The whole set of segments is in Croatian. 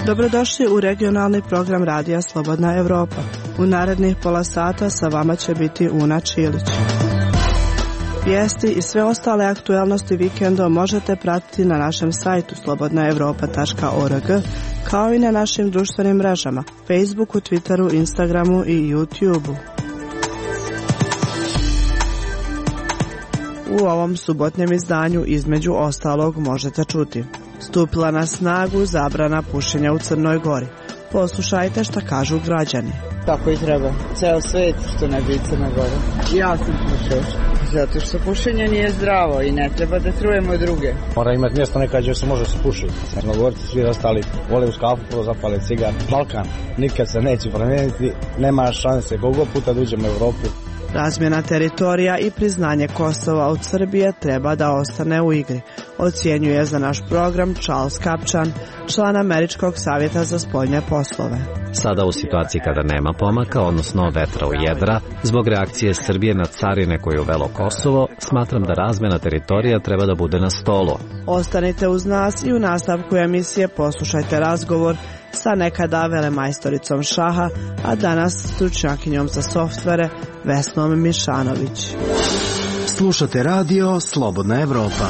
Dobrodošli u regionalni program Radija Slobodna Evropa. U narednih pola sata sa vama će biti Una Čilić. Vijesti i sve ostale aktualnosti vikendom možete pratiti na našem sajtu slobodnaevropa.org, kao i na našim društvenim mrežama, Facebooku, Twitteru, Instagramu i YouTubeu. U ovom subotnjem izdanju između ostalog možete čuti: stupila na snagu zabrana pušenja u Crnoj Gori. Poslušajte šta kažu građani. Tako i treba. Ceo svet što ne bi Crna Gora. Ja sam pušač. Zato što pušenje nije zdravo i ne treba da trujemo druge. Mora imati mjesto nekad gdje se može se pušiti. Crnogorci svi ostali vole uz kafu prvo zapale cigar. Balkan nikad se neće promijeniti. Nema šanse koliko puta da uđemo u Evropu. Razmjena teritorija i priznanje Kosova od Srbije treba da ostane u igri, ocjenjuje za naš program Charles Kapčan, član Američkog savjeta za spoljne poslove. Sada u situaciji kada nema pomaka, odnosno vetra u jedra, zbog reakcije Srbije na carine koje je uvelo Kosovo, smatram da razmjena teritorija treba da bude na stolu. Ostanite uz nas i u nastavku emisije poslušajte razgovor sa nekada velemajstoricom šaha, a danas stručnjakinjom za softvere Vesnom Mišanović. Slušate radio Slobodna Evropa.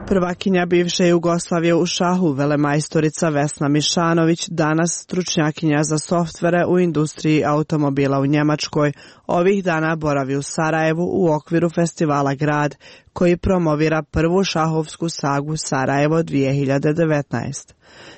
Prvakinja bivše Jugoslavije u šahu, velemajstorica Vesna Mišanović, danas stručnjakinja za softvere u industriji automobila u Njemačkoj, ovih dana boravi u Sarajevu u okviru festivala Grad, koji promovira prvu šahovsku sagu Sarajevo 2019.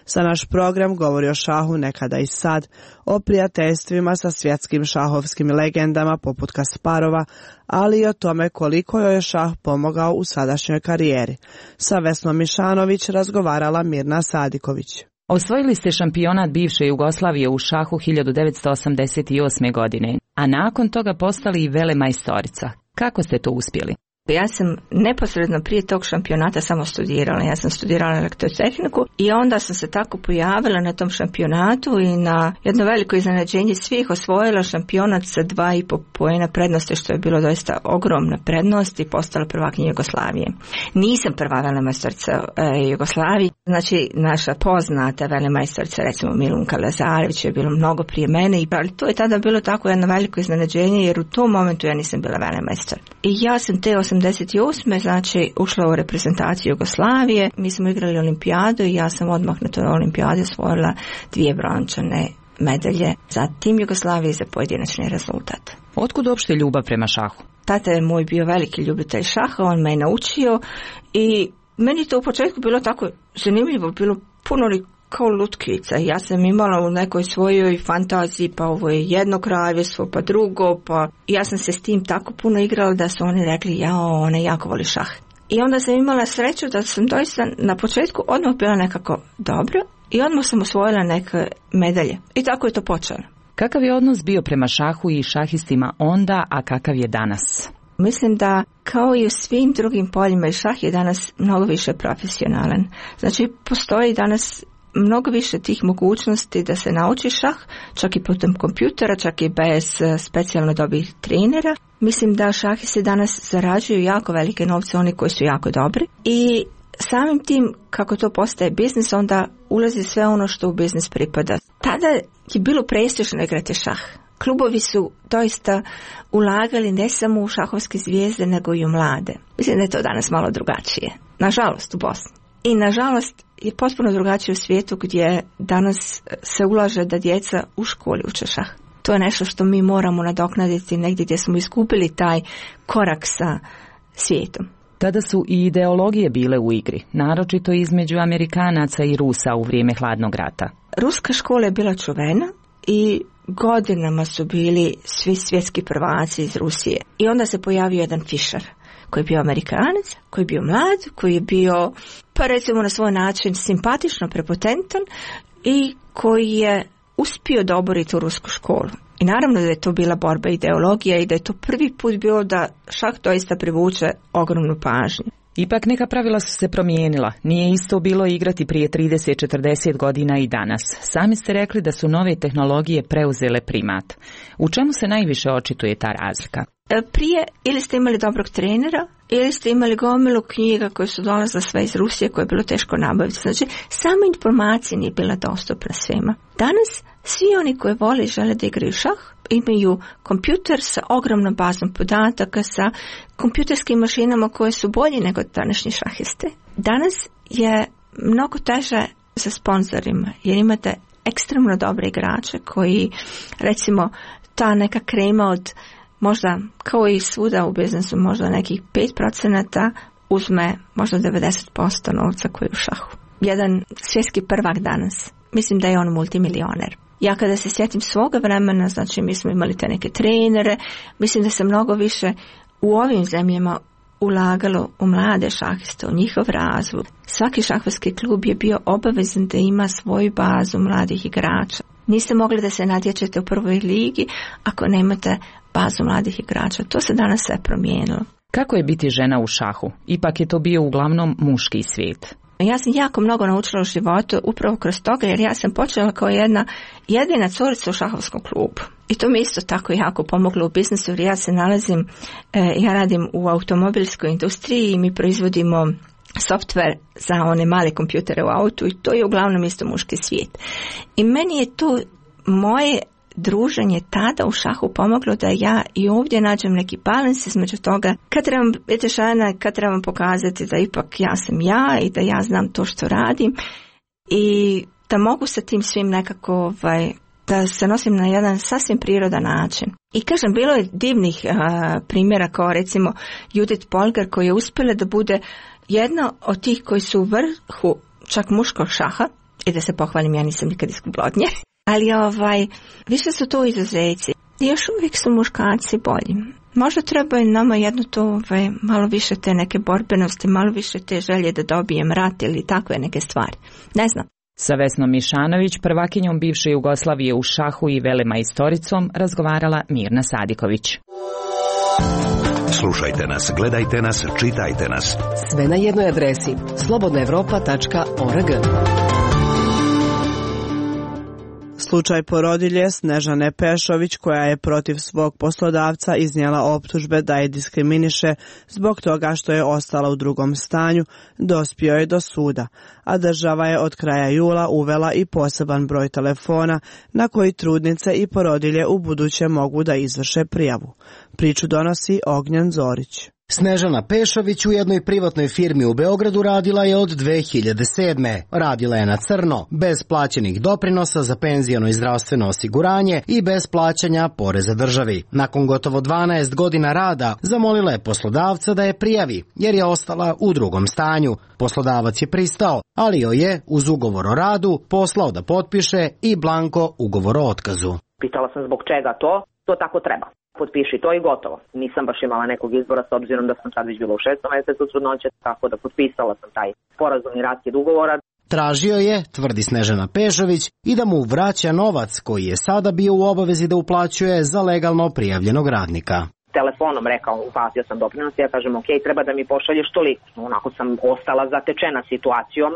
Za naš program govori o šahu nekada i sad, o prijateljstvima sa svjetskim šahovskim legendama poput Kasparova, ali i o tome koliko joj je šah pomogao u sadašnjoj karijeri. Sa Vesnom Mišanović razgovarala Mirna Sadiković. Osvojili ste šampionat bivše Jugoslavije u šahu 1988. godine, a nakon toga postali i velemajstorica. Kako ste to uspjeli? Ja sam neposredno prije tog šampionata samo studirala. Ja sam studirala elektrotehniku i onda sam se tako pojavila na tom šampionatu i na jedno veliko iznenađenje svih osvojila šampionat sa 2,5 poena prednosti, što je bilo doista ogromna prednost i postala prvakinja Jugoslavije. Nisam prva velemajstorica Jugoslavije, znači naša poznata velemajstorica, recimo Milunka Lazarević, je bilo mnogo prije mene, ali to je tada bilo tako jedno veliko iznenađenje jer u tom momentu ja nisam bila velemajstor. I ja sam te 88. znači ušla u reprezentaciju Jugoslavije, mi smo igrali olimpijadu i ja sam odmah na toj olimpijadi osvojila 2 brončane medalje za tim Jugoslavije i za pojedinačni rezultat. Otkud uopšte ljubav prema šahu? Tata je moj bio veliki ljubitelj šaha, on me je naučio i meni to u početku bilo tako zanimljivo, bilo puno kao lutkica. Ja sam imala u nekoj svojoj fantaziji, pa ovo je jedno kraljevstvo, pa drugo, pa ja sam se s tim tako puno igrala da su oni rekli, ona jako voli šah. I onda sam imala sreću da sam doista na početku odmah bila nekako dobro i odmah sam osvojila neke medalje. I tako je to počelo. Kakav je odnos bio prema šahu i šahistima onda, a kakav je danas? Mislim da kao i u svim drugim poljima i šah je danas mnogo više profesionalan. Znači postoji danas mnogo više tih mogućnosti da se nauči šah, čak i putem kompjutera, čak i bez specijalno dobrih trenera. Mislim da šahisti danas zarađuju jako velike novce, oni koji su jako dobri. I samim tim, kako to postaje biznis, onda ulazi sve ono što u biznis pripada. Tada je bilo prestižno igrati šah. Klubovi su doista ulagali ne samo u šahovske zvijezde, nego i u mlade. Mislim da je to danas malo drugačije. Nažalost u Bosni. I nažalost je potpuno drugačije u svijetu gdje danas se ulaže da djeca u školi uče šah. To je nešto što mi moramo nadoknaditi negdje gdje smo izgubili taj korak sa svijetom. Tada su i ideologije bile u igri, naročito između Amerikanaca i Rusa u vrijeme hladnog rata. Ruska škola je bila čuvena i godinama su bili svi svjetski prvaci iz Rusije. I onda se pojavio jedan Fischer, koji je bio Amerikanac, koji je bio mlad, koji je bio, pa recimo na svoj način, simpatično prepotentan i koji je uspio da obori tu rusku školu. I naravno da je to bila borba ideologija i da je to prvi put bilo da šah doista privuče ogromnu pažnju. Ipak neka pravila su se promijenila. Nije isto bilo igrati prije 30-40 godina i danas. Sami ste rekli da su nove tehnologije preuzele primat. U čemu se najviše očituje ta razlika? Prije ili ste imali dobrog trenera, ili ste imali gomilu knjiga koje su dolazile sve iz Rusije, koje je bilo teško nabaviti. Znači, sama informacija nije bila dostupna svima. Danas svi oni koji vole i žele da igraju šah imaju kompjuter sa ogromnom bazom podataka, sa kompjuterskim mašinama koje su bolji nego današnji šahiste. Danas je mnogo teže sa sponzorima, jer imate ekstremno dobre igrače koji, recimo, ta neka krema od možda, kao i svuda u biznesu, možda nekih 5% uzme možda 90% novca koji je u šahu. Jedan svjetski prvak danas, mislim da je on multimilioner. Ja kada se sjetim svoga vremena, znači mi smo imali te neke trenere, mislim da se mnogo više u ovim zemljama ulagalo u mlade šahiste, u njihov razvoj. Svaki šahvatski klub je bio obavezan da ima svoju bazu mladih igrača. Niste mogli da se natječete u prvoj ligi ako nemate bazu mladih igrača. To se danas sve promijenilo. Kako je biti žena u šahu? Ipak je to bio uglavnom muški svijet. Ja sam jako mnogo naučila u životu upravo kroz toga, jer ja sam počela kao jedina curica u šahovskom klubu. I to mi isto tako jako pomoglo u biznesu, jer ja se nalazim, ja radim u automobilskoj industriji i mi proizvodimo software za one male kompjutere u autu i to je uglavnom isto muški svijet. I meni je to moje druženje tada u šahu pomoglo da ja i ovdje nađem neki balans između toga kad trebam biti žena, kad trebam pokazati da ipak ja sam ja i da ja znam to što radim i da mogu sa tim svim nekako da se nosim na jedan sasvim prirodan način. I kažem, bilo je divnih primjera kao recimo Judith Polgar koja je uspjela da bude jedna od tih koji su u vrhu čak muškog šaha i da se pohvalim, ja nisam nikad izgubila od nje. Ali više su to izuzeci. I još uvijek su muškarci bolji. Možda treba i nama jedno to malo više te neke borbenosti, malo više te želje da dobijem rat ili takve neke stvari. Ne znam. Sa Vesnom Mišanović, prvakinjom bivše Jugoslavije u šahu i velemajstoricom, razgovarala Mirna Sadiković. Slušajte nas, gledajte nas, čitajte nas. Sve na jednoj adresi slobodnaevropa.org. Slučaj porodilje Snežane Pešović, koja je protiv svog poslodavca iznijela optužbe da je diskriminiše zbog toga što je ostala u drugom stanju, dospio je do suda, a država je od kraja jula uvela i poseban broj telefona na koji trudnice i porodilje u buduće mogu da izvrše prijavu. Priču donosi Ognjen Zorić. Snežana Pešović u jednoj privatnoj firmi u Beogradu radila je od 2007. Radila je na crno, bez plaćenih doprinosa za penziono i zdravstveno osiguranje i bez plaćanja poreza državi. Nakon gotovo 12 godina rada zamolila je poslodavca da je prijavi, jer je ostala u drugom stanju. Poslodavac je pristao, ali joj je uz ugovor o radu poslao da potpiše i blanko ugovor o otkazu. Pitala sam zbog čega to tako treba. Potpiši to i gotovo. Nisam baš imala nekog izbora s obzirom da sam sad već bila u 6. mjesecu trudnoće, tako da potpisala sam taj sporazumni raskid ugovora. Tražio je, tvrdi Snežana Pešović, i da mu vraća novac koji je sada bio u obavezi da uplaćuje za legalno prijavljenog radnika. Telefonom rekao, uplatio sam doprinos, ja kažem ok, treba da mi pošalješ toliko. Onako sam ostala zatečena situacijom,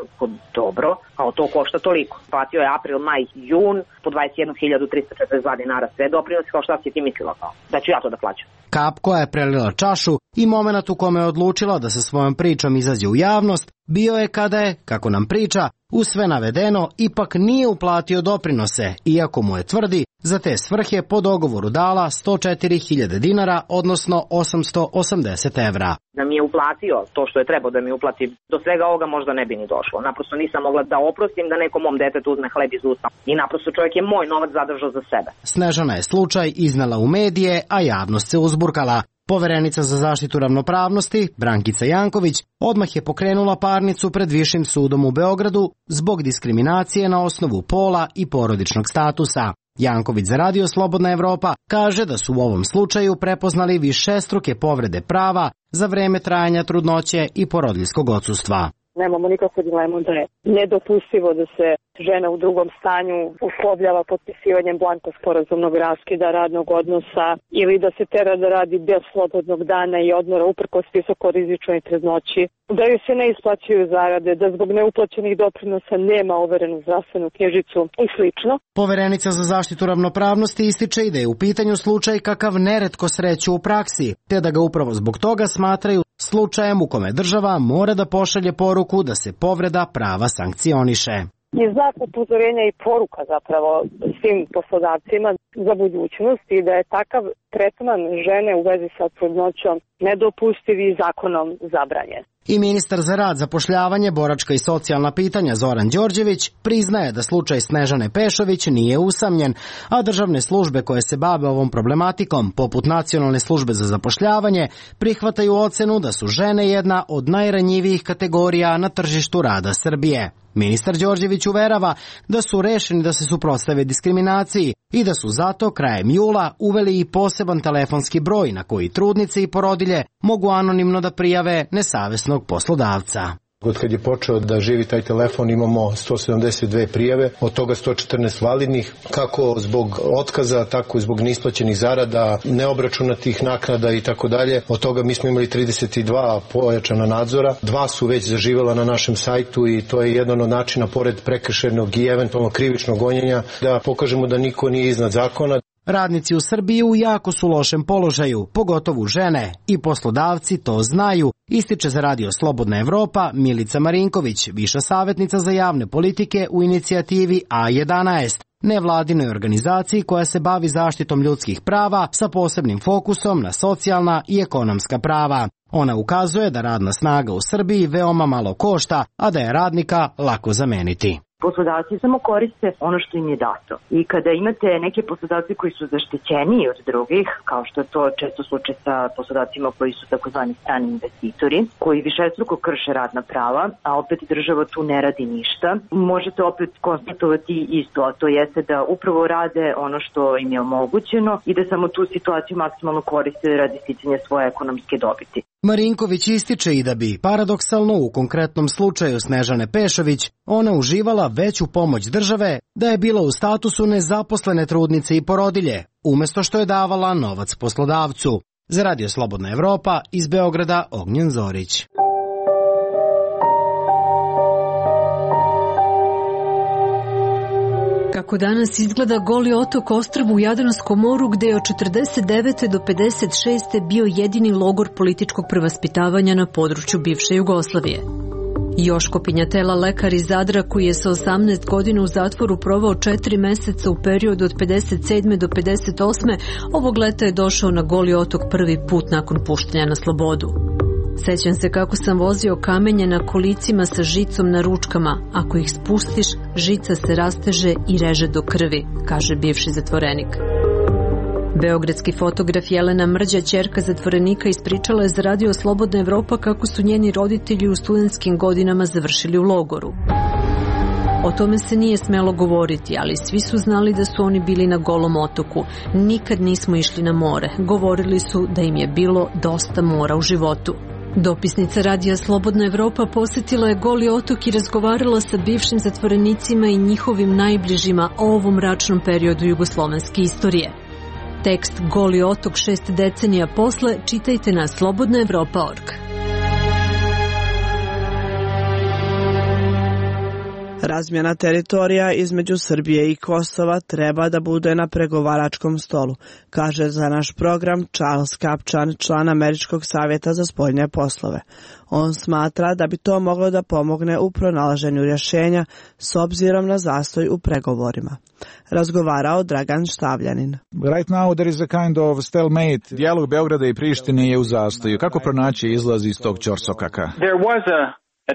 dobro, kao to košta toliko. Platio je april, maj, jun, po 21.342 dinara sve doprinos, kao šta si ti mislila kao, da ću ja to da plaćam. Kap koja je prelila čašu i moment u kome je odlučila da sa svojom pričom izađe u javnost, bio je kada je, kako nam priča, uz sve navedeno ipak nije uplatio doprinose, iako mu je tvrdi za te svrhe po dogovoru dala 104.000 dinara, odnosno 880 evra. Da mi je uplatio to što je trebao da mi uplati, do svega ovoga možda ne bi ni došlo. Naprosto nisam mogla da oprostim da nekom mom detetu uzme hleb iz usta. I naprosto čovjek je moj novac zadržao za sebe. Snežana je slučaj iznala u medije, a javnost se uzburkala. Poverenica za zaštitu ravnopravnosti, Brankica Janković, odmah je pokrenula parnicu pred Višim sudom u Beogradu zbog diskriminacije na osnovu pola i porodičnog statusa. Janković za Radio Slobodna Evropa kaže da su u ovom slučaju prepoznali višestruke povrede prava za vreme trajanja trudnoće i porodiljskog odsustva. Nemamo nikakvu dilemu da je nedopustivo da se žena u drugom stanju uslovljava potpisivanjem blanko sporazumnog raskida radnog odnosa ili da se tera da radi bez slobodnog dana i odmora uprkos visokorizičnoj trudnoći, da joj se ne isplaćuju zarade, da zbog neuplaćenih doprinosa nema overenu zdravstvenu knjižicu i slično. Poverenica za zaštitu ravnopravnosti ističe i da je u pitanju slučaj kakav neretko sreću u praksi, te da ga upravo zbog toga smatraju slučajem u kome država mora da pošalje poruku da se povreda prava sankcioniše. Je znak upozorenja i poruka zapravo svim poslodavcima za budućnost i da je takav tretman žene u vezi sa trudnoćom nedopustiv i zakonom zabranjen. I ministar za rad, zapošljavanje, boračka i socijalna pitanja Zoran Đorđević priznaje da slučaj Snežane Pešović nije usamljen, a državne službe koje se bave ovom problematikom, poput Nacionalne službe za zapošljavanje, prihvataju ocenu da su žene jedna od najranjivijih kategorija na tržištu rada Srbije. Ministar Đorđević uverava da su rešeni da se suprotstave diskriminaciji i da su zato krajem jula uveli i poseban telefonski broj na koji trudnice i porodilje mogu anonimno da prijave nesavesnog poslodavca. Od kad je počeo da živi taj telefon imamo 172 prijave, od toga 114 validnih, kako zbog otkaza, tako i zbog neisplaćenih zarada, neobračunatih naknada i tako dalje. Od toga mi smo imali 32 pojačana nadzora, 2 su već zaživela na našem sajtu i to je jedan od načina, pored prekršajnog i eventualno krivičnog gonjenja, da pokažemo da niko nije iznad zakona. Radnici u Srbiji u jako su lošem položaju, pogotovo žene, i poslodavci to znaju, ističe za Radio Slobodna Evropa Milica Marinković, viša savjetnica za javne politike u inicijativi A11, nevladinoj organizaciji koja se bavi zaštitom ljudskih prava sa posebnim fokusom na socijalna i ekonomska prava. Ona ukazuje da radna snaga u Srbiji veoma malo košta, a da je radnika lako zameniti. Poslodavci samo koriste ono što im je dato. I kada imate neke poslodavce koji su zaštićeniji od drugih, kao što je to često slučaj sa poslodavcima koji su takozvani strani investitori, koji višestruko krše radna prava, a opet država tu ne radi ništa, možete opet konstatovati isto, a to jeste da upravo rade ono što im je omogućeno i da samo tu situaciju maksimalno koriste radi sticanja svoje ekonomske dobiti. Marinković ističe i da bi, paradoksalno u konkretnom slučaju Snežane Pešović, ona uživala veću pomoć države da je bila u statusu nezaposlene trudnice i porodilje, umesto što je davala novac poslodavcu. Za Radio Slobodna Evropa, iz Beograda, Ognjen Zorić. Kako danas izgleda Goli otok ostrvo u Jadranskom moru gde je od 49. do 56. bio jedini logor političkog prevaspitavanja na području bivše Jugoslavije. Joško Pinjatela, lekar iz Zadra koji je sa 18 godina u zatvoru provao 4 meseca u periodu od 57. do 58. ovog leta je došao na Goli otok prvi put nakon puštanja na slobodu. Sećam se kako sam vozio kamenje na kolicima sa žicom na ručkama. Ako ih spustiš, žica se rasteže i reže do krvi, kaže bivši zatvorenik. Beogradski fotograf Jelena Mrđa, ćerka zatvorenika, ispričala je za Radio Slobodna Evropa kako su njeni roditelji u studentskim godinama završili u logoru. O tome se nije smelo govoriti, ali svi su znali da su oni bili na Golom otoku. Nikad nismo išli na more. Govorili su da im je bilo dosta mora u životu. Dopisnica Radija Slobodna Evropa posjetila je Goli otok i razgovarala sa bivšim zatvorenicima i njihovim najbližima o ovom mračnom periodu jugoslovenske istorije. Tekst Goli otok 6 decenija posle čitajte na slobodnaevropa.org. Razmjena teritorija između Srbije i Kosova treba da bude na pregovaračkom stolu, kaže za naš program Charles Kapčan, član Američkog savjeta za spoljne poslove. On smatra da bi to moglo da pomogne u pronalaženju rješenja s obzirom na zastoj u pregovorima. Razgovarao Dragan Štavljanin. Right now there is a kind of stalemate. Dijalog Beograda i Prištine je u zastoju. Kako pronaći izlaz iz tog ćorsokaka? There was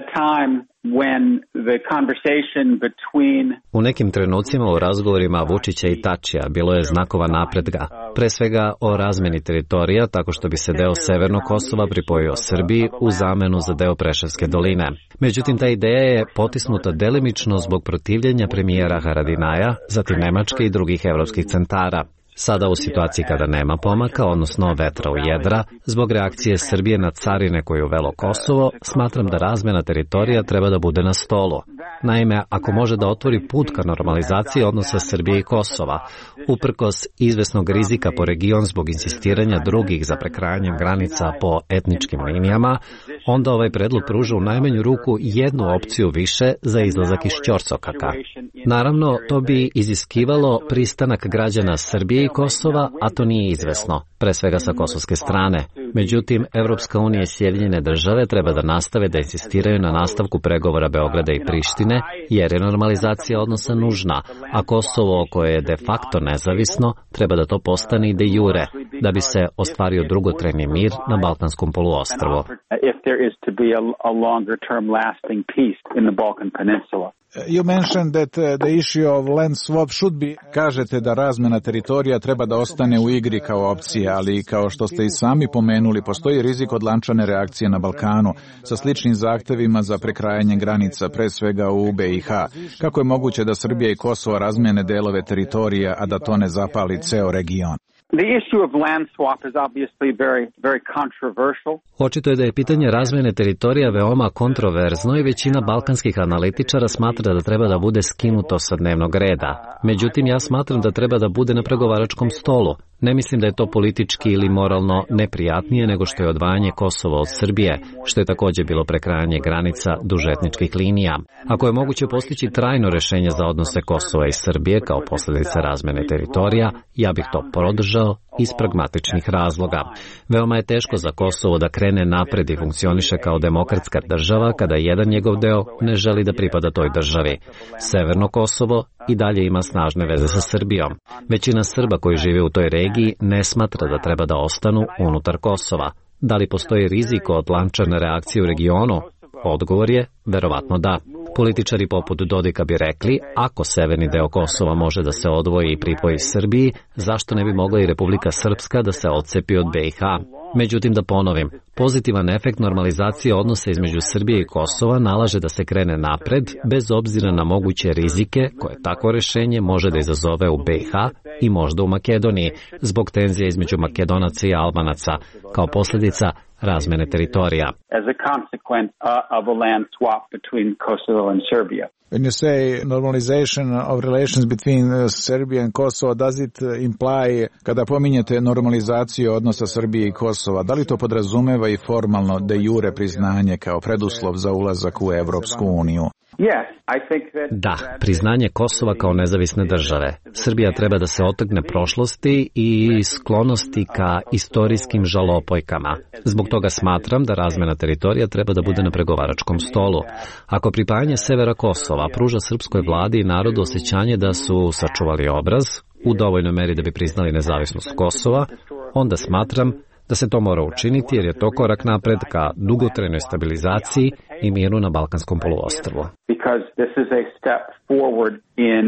a time when the conversation between... U nekim trenucima u razgovorima Vučića i Tačija bilo je znakova napretka, pre svega o razmeni teritorija tako što bi se deo Severnog Kosova pripojio Srbiji u zamenu za deo Preševske doline. Međutim, ta ideja je potisnuta delimično zbog protivljenja premijera Haradinaja, zatim Nemačke i drugih evropskih centara. Sada u situaciji kada nema pomaka, odnosno vetra u jedra, zbog reakcije Srbije na carine koje je uvelo Kosovo, smatram da razmena teritorija treba da bude na stolu. Naime, ako može da otvori put ka normalizaciji odnosa Srbije i Kosova, uprkos izvesnog rizika po region zbog insistiranja drugih za prekrajanjem granica po etničkim linijama, onda ovaj predlog pruža u najmanju ruku jednu opciju više za izlazak iz ćorsokaka. Naravno, to bi iziskivalo pristanak građana Srbije i Kosova, a to nije izvesno, pre svega sa kosovske strane. Međutim, Evropska unija i Sjedinjene države treba da nastave da insistiraju na nastavku pregovora Beograda i Prištine, jer je normalizacija odnosa nužna, a Kosovo, koje je de facto nezavisno, treba da to postane i de jure, da bi se ostvario dugotrajni mir na Balkanskom poluostrvu. You mentioned that the issue of land swap should be... Kažete da razmena teritorija treba da ostane u igri kao opcija, ali kao što ste i sami pomenuli, postoji rizik od lančane reakcije na Balkanu sa sličnim zahtevima za prekrajanje granica, pre svega u BiH. Kako je moguće da Srbija i Kosovo razmene delove teritorija, a da to ne zapali ceo region? The issue of land swap is obviously very controversial. Očito je da je pitanje razmene teritorija veoma kontroverzno i većina balkanskih analitičara smatra da treba da bude skinuto sa dnevnog reda. Međutim, ja smatram da treba da bude na pregovaračkom stolu. Ne mislim da je to politički ili moralno neprijatnije nego što je odvajanje Kosova od Srbije, što je takođe bilo prekrajanje granica duž etničkih linija. Ako je moguće postići trajno rešenje za odnose Kosova i Srbije kao posljedica razmene teritorija, ja bih to podržao iz pragmatičnih razloga. Veoma je teško za Kosovo da krene napred i funkcioniše kao demokratska država kada jedan njegov deo ne želi da pripada toj državi. Severno Kosovo i dalje ima snažne veze sa Srbijom. Većina Srba koji žive u toj regiji ne smatra da treba da ostanu unutar Kosova. Da li postoji rizik od lančane reakcije u regionu? Odgovor je verovatno da. Političari poput Dodika bi rekli, ako severni deo Kosova može da se odvoji i pripoji Srbiji, zašto ne bi mogla i Republika Srpska da se odcepi od BiH? Međutim, da ponovim, pozitivan efekt normalizacije odnosa između Srbije i Kosova nalaže da se krene napred, bez obzira na moguće rizike koje takvo rešenje može da izazove u BiH i možda u Makedoniji, zbog tenzija između Makedonaca i Albanaca, kao posljedica razmene teritorija. As a consequence of a land swap between Kosovo and Serbia. When you say normalization of relations between Serbia and Kosovo, does it imply, kada pominjete normalizaciju odnosa Srbije i Kosova, da li to podrazumeva i formalno de jure priznanje kao preduslov za ulazak u Evropsku uniju? Da, priznanje Kosova kao nezavisne države. Srbija treba da se otrgne prošlosti i sklonosti ka istorijskim žalopojkama. Zbog toga smatram da razmena teritorija treba da bude na pregovaračkom stolu. Ako pripajanje severa Kosova pruža srpskoj vladi i narodu osjećanje da su sačuvali obraz, u dovoljnoj meri da bi priznali nezavisnost Kosova, onda smatram da se to mora učiniti jer je to korak napred ka dugotrajnoj stabilizaciji i miru na Balkanskom poluostrvu. Because this is a step forward in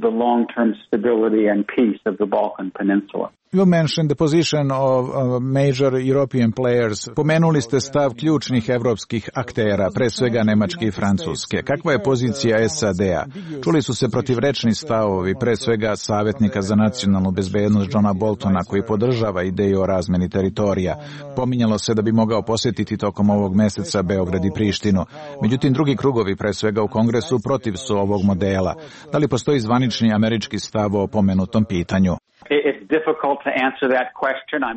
the long-term stability and peace of the Balkan Peninsula. You mentioned the position of major European players. Pomenuli ste stav ključnih evropskih aktera, pre svega Nemačke i Francuske. Kakva je pozicija SAD-a? Čuli su se protivrečni stavovi, pre svega savjetnika za nacionalnu bezbednost Johna Boltona, koji podržava ideju o razmeni teritorija. Pominjalo se da bi mogao posjetiti tokom ovog meseca Beograd i Prištinu. Međutim, drugi krugovi, pre svega u Kongresu, protiv su ovog modela. Da li postoji zvanični američki stav o pomenutom pitanju?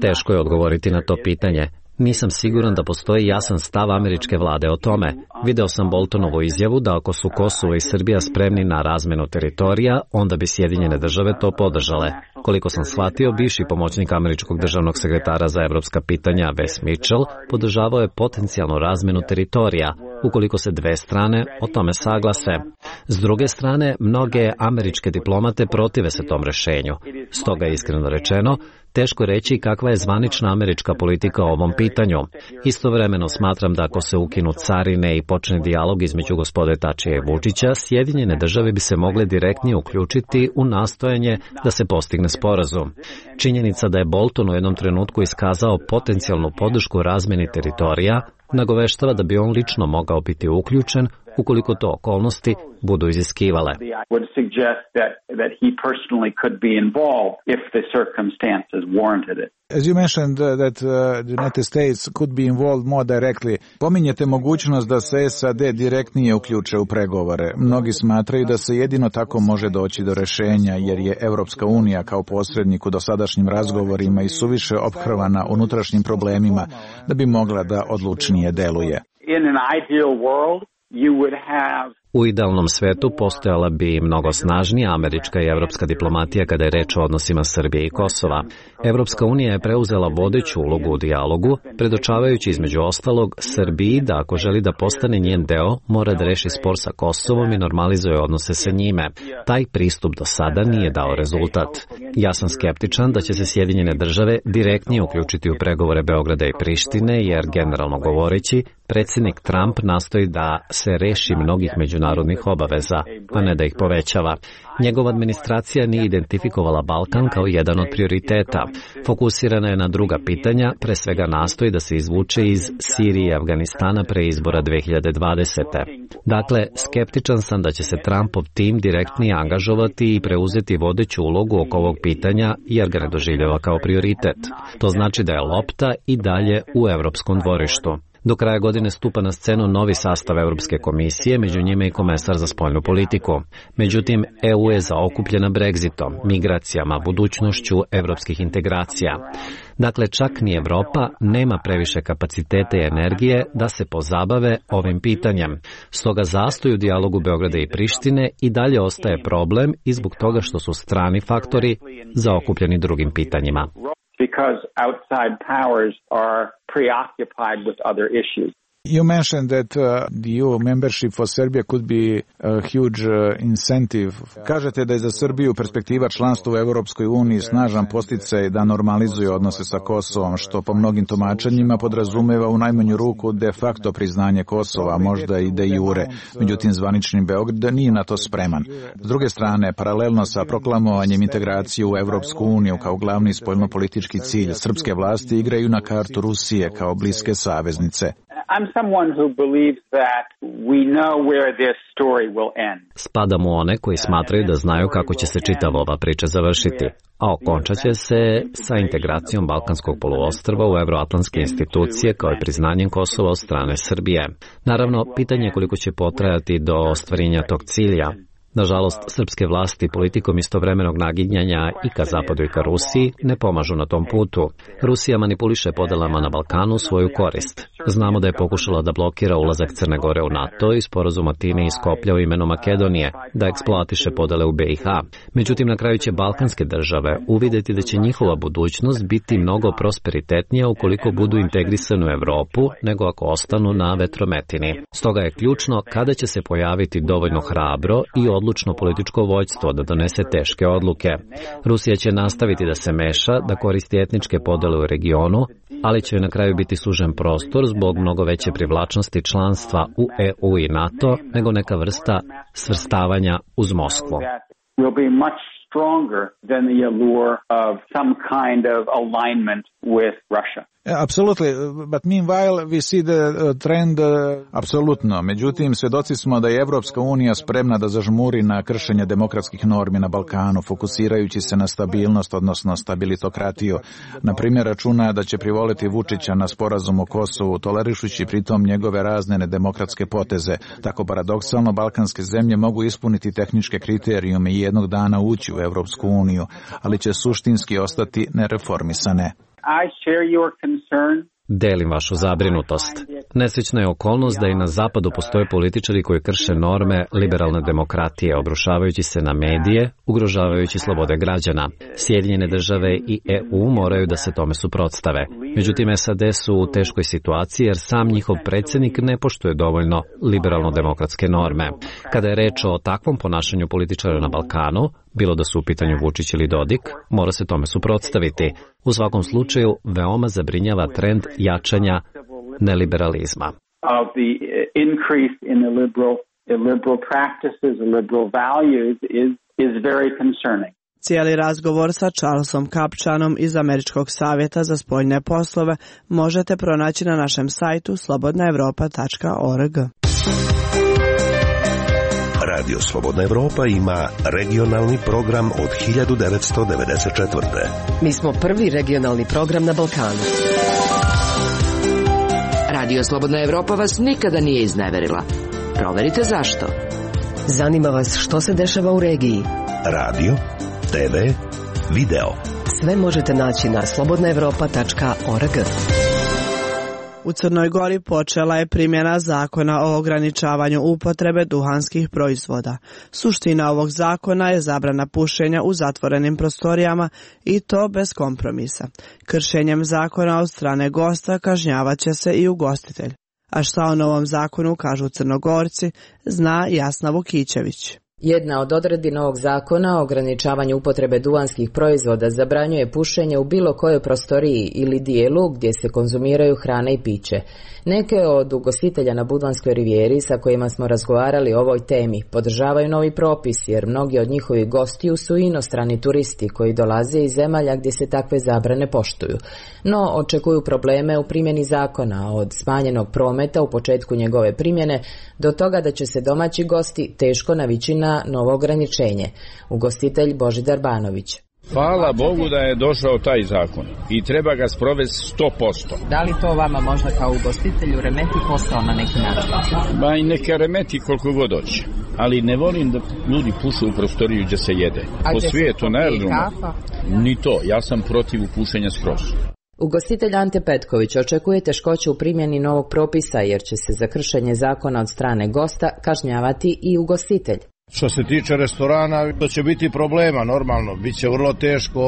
Teško je odgovoriti na to pitanje. Nisam siguran da postoji jasan stav američke vlade o tome. Video sam Boltonovu izjavu da ako su Kosovo i Srbija spremni na razmenu teritorija, onda bi Sjedinjene države to podržale. Koliko sam shvatio, bivši pomoćnik američkog državnog sekretara za evropska pitanja Wes Mitchell podržavao je potencijalnu razmenu teritorija, ukoliko se dve strane o tome saglase. S druge strane, mnoge američke diplomate protive se tom rešenju. Stoga je iskreno rečeno, teško reći kakva je zvanična američka politika o ovom pitanju. Istovremeno smatram da ako se ukinu carine i počne dijalog između gospode Tačija i Vučića, Sjedinjene države bi se mogle direktnije uključiti u nastojanje da se postigne sporazum. Činjenica da je Bolton u jednom trenutku iskazao potencijalnu podršku razmeni teritorija nagoveštava da bi on lično mogao biti uključen ukoliko to okolnosti budu iziskivale. As you mentioned that the United States could be involved more directly, pominjete mogućnost da se SAD direktnije uključe u pregovore. Mnogi smatraju da se jedino tako može doći do rešenja, jer je Evropska unija kao posrednik u dosadašnjim razgovorima i suviše ophrvana unutrašnjim problemima da bi mogla da odlučnije deluje. In an ideal world, you would have U idealnom svetu postojala bi mnogo snažnija američka i evropska diplomatija kada je reč o odnosima Srbije i Kosova. Evropska unija je preuzela vodeću ulogu u dijalogu, predočavajući između ostalog Srbiji da ako želi da postane njen deo, mora da reši spor sa Kosovom i normalizuje odnose sa njime. Taj pristup do sada nije dao rezultat. Ja sam skeptičan da će se Sjedinjene države direktnije uključiti u pregovore Beograda i Prištine, jer generalno govoreći, predsjednik Trump nastoji da se reši mnogih međunarodnih obaveza, a ne da ih povećava. Njegova administracija nije identifikovala Balkan kao jedan od prioriteta. Fokusirana je na druga pitanja, pre svega nastoji da se izvuče iz Sirije i Afganistana pre izbora 2020. Dakle, skeptičan sam da će se Trumpov tim direktnije angažovati i preuzeti vodeću ulogu oko ovog pitanja, jer ga ne doživljava kao prioritet. To znači da je lopta i dalje u evropskom dvorištu. Do kraja godine stupa na scenu novi sastav Europske komisije, među njima i komesar za spoljnu politiku. Međutim, EU je zaokupljena Brexitom, migracijama, budućnošću evropskih integracija. Dakle, čak ni Evropa nema previše kapacitete i energije da se pozabave ovim pitanjem. Stoga zastoj u dijalogu Beograda i Prištine i dalje ostaje problem i zbog toga što su strani faktori zaokupljeni drugim pitanjima. Because outside powers are preoccupied with other issues. You mentioned that the EU membership for Serbia could be a huge incentive. Kažete da je za Srbiju perspektiva članstva u Europskoj uniji snažan podsticaj da normalizuje odnose sa Kosovom, što po mnogim tumačenjima podrazumeva u najmanju ruku de facto priznanje Kosova, možda i de jure. Međutim, zvanični Beograd nije na to spreman. S druge strane, paralelno sa proklamovanjem integracije u Europsku uniju kao glavni spoljnopolitički cilj, srpske vlasti igraju na kartu Rusije kao bliske saveznice. I'm someone who believes that we know where this story will end. Spadam u one koji smatraju da znaju kako će se čitava ova priča završiti, a okončat će se sa integracijom Balkanskog poluostrva u evroatlantske institucije kao i priznanjem Kosova od strane Srbije. Naravno, pitanje je koliko će potrajati do ostvarenja tog cilja. Nažalost, srpske vlasti politikom istovremenog naginjanja i ka zapadu i ka Rusiji ne pomažu na tom putu. Rusija manipuliše podelama na Balkanu u svoju korist. Znamo da je pokušala da blokira ulazak Crne Gore u NATO i sporazuma time iz Skoplja u imenu Makedonije, da eksploatiše podele u BiH. Međutim, na kraju će balkanske države uvideti da će njihova budućnost biti mnogo prosperitetnija ukoliko budu integrisani u Evropu nego ako ostanu na vetrometini. Stoga je ključno kada će se pojaviti dovoljno hrabro i odlučno političko vođstvo da donese teške odluke. Rusija će nastaviti da se meša, da koristi etničke podele u regionu, ali će na kraju biti sužen prostor zbog mnogo veće privlačnosti članstva u EU i NATO nego neka vrsta svrstavanja uz Moskvu. Stronger than the allure of some kind of alignment with Russia. Absolutely, but meanwhile we see the trend. Apsolutno, međutim, svjedoci smo da je Evropska unija spremna da zažmuri na kršenje demokratskih normi na Balkanu, fokusirajući se na stabilnost, odnosno stabilitokratiju. Na primjer, računa da će privoliti Vučića na sporazum o Kosovu, tolerišući pritom njegove razne nedemokratske poteze. Tako paradoksalno, balkanske zemlje mogu ispuniti tehničke kriterijume i jednog dana ući u Evropsku uniju, ali će suštinski ostati nereformisane. I share your concern. Delim vašu zabrinutost. Nesrećna je okolnost da i na zapadu postoje političari koji krše norme liberalne demokratije, obrušavajući se na medije, ugrožavajući slobode građana. Sjedinjene države i EU moraju da se tome suprotstave. Međutim, SAD su u teškoj situaciji jer sam njihov predsjednik ne poštuje dovoljno liberalno-demokratske norme. Kada je reč o takvom ponašanju političara na Balkanu, bilo da su u pitanju Vučić ili Dodik, mora se tome suprotstaviti. U svakom slučaju, veoma zabrinjava trend jačanja neliberalizma. Of the increase in the liberal practices, liberal values is very concerning. Cijeli razgovor sa Charlesom Kapčanom iz Američkog savjeta za spoljne poslove možete pronaći na našem sajtu slobodnaevropa.org. Radio Slobodna Evropa ima regionalni program od 1994. Mi smo prvi regionalni program na Balkanu. Radio Slobodna Evropa vas nikada nije izneverila. Proverite zašto. Zanima vas što se dešava u regiji. Radio, TV, video. Sve možete naći na slobodnaevropa.org. U Crnoj Gori počela je primjena zakona o ograničavanju upotrebe duhanskih proizvoda. Suština ovog zakona je zabrana pušenja u zatvorenim prostorijama i to bez kompromisa. Kršenjem zakona od strane gosta kažnjavaće se i ugostitelj. A šta o novom zakonu kažu Crnogorci, zna Jasna Vukićević. Jedna od odredbi novog zakona o ograničavanju upotrebe duvanskih proizvoda zabranjuje pušenje u bilo kojoj prostoriji ili dijelu gdje se konzumiraju hrana i piće. Neke od ugostitelja na Budvanskoj rivijeri sa kojima smo razgovarali o ovoj temi podržavaju novi propis jer mnogi od njihovih gostiju su inostrani turisti koji dolaze iz zemalja gdje se takve zabrane poštuju. No, očekuju probleme u primjeni zakona od smanjenog prometa u početku njegove primjene do toga da će se domaći gosti teško navići na novo ograničenje. Ugostitelj Božidar Banović. Hvala Bogu da je došao taj zakon i treba ga sprovesti 100%. Da li to vama možda kao ugostitelju remeti posao na neki način? Ba i neka remeti koliko god hoće, ali ne volim da ljudi pušu u prostoriju gdje se jede. Po svijetu, naravno, ni to, ja sam protiv pušenja skroz. Ugostitelj Ante Petković očekuje teškoće u primjeni novog propisa jer će se za kršenje zakona od strane gosta kažnjavati i ugostitelj. Što se tiče restorana, to će biti problema, normalno. Biće vrlo teško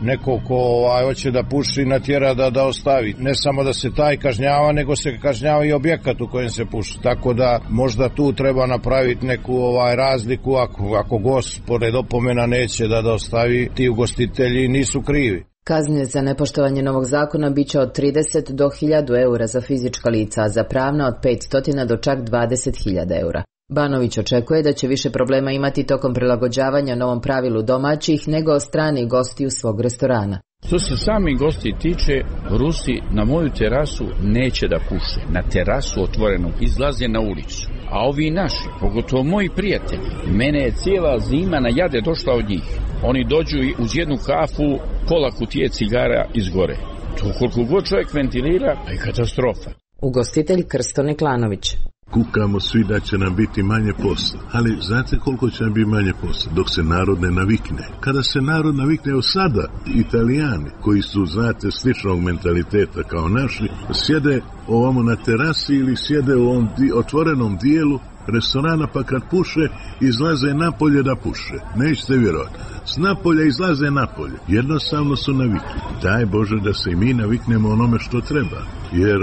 neko ko hoće da puši natjera da ostavi. Ne samo da se taj kažnjava, nego se kažnjava i objekat u kojem se puši. Tako da možda tu treba napraviti neku razliku. Ako gost pored opomena neće da ostavi, ti ugostitelji nisu krivi. Kazne za nepoštovanje novog zakona biće od 30 do 1000 eura za fizička lica, a za pravna od 500 do čak 20.000 eura. Banović očekuje da će više problema imati tokom prilagođavanja novom pravilu domaćih nego strani gostiju svog restorana. Što se sami gosti tiče, Rusi na moju terasu neće da puše. Na terasu otvorenu izlaze na ulicu. A ovi naši, pogotovo moji prijatelji, mene je cijela zima na jade došla od njih. Oni dođu uz jednu kafu, pola kutije cigara izgore. To koliko god čovjek ventilira, pa je katastrofa. Ugostitelj Krsto Neklanović. Kukamo svi da će nam biti manje posla, ali znate koliko će nam biti manje posla? Dok se narod ne navikne. Kada se narod navikne, evo sada Italijani, koji su, znate, sličnog mentaliteta kao naši, sjede ovamo na terasi ili sjede u ovom otvorenom dijelu restorana, pa kad puše, izlaze napolje da puše. Nećete vjerovati. S napolja izlaze napolje. Jednostavno su navikli. Daj Bože da se i mi naviknemo onome što treba. Jer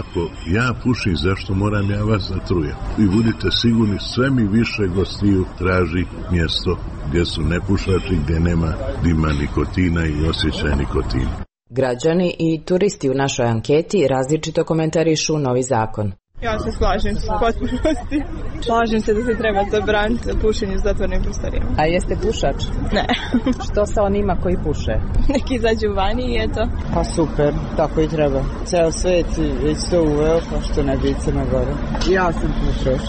ako ja pušim, zašto moram ja vas zatrujem? I budite sigurni, sve mi više gostiju traži mjesto gdje su nepušači, gdje nema dima nikotina i osjećaj nikotina. Građani i turisti u našoj anketi različito komentarišu novi zakon. Ja se slažem s potpunosti. Slažem se da se treba zabraniti pušenje u zatvorenim prostorijama. A jeste pušač? Ne. Što sa onima koji puše? Neki izađu vani i eto. Pa super, tako i treba. Ceo svet već to uveo, pa što ne bi Crna Gora. Ja sam pušač.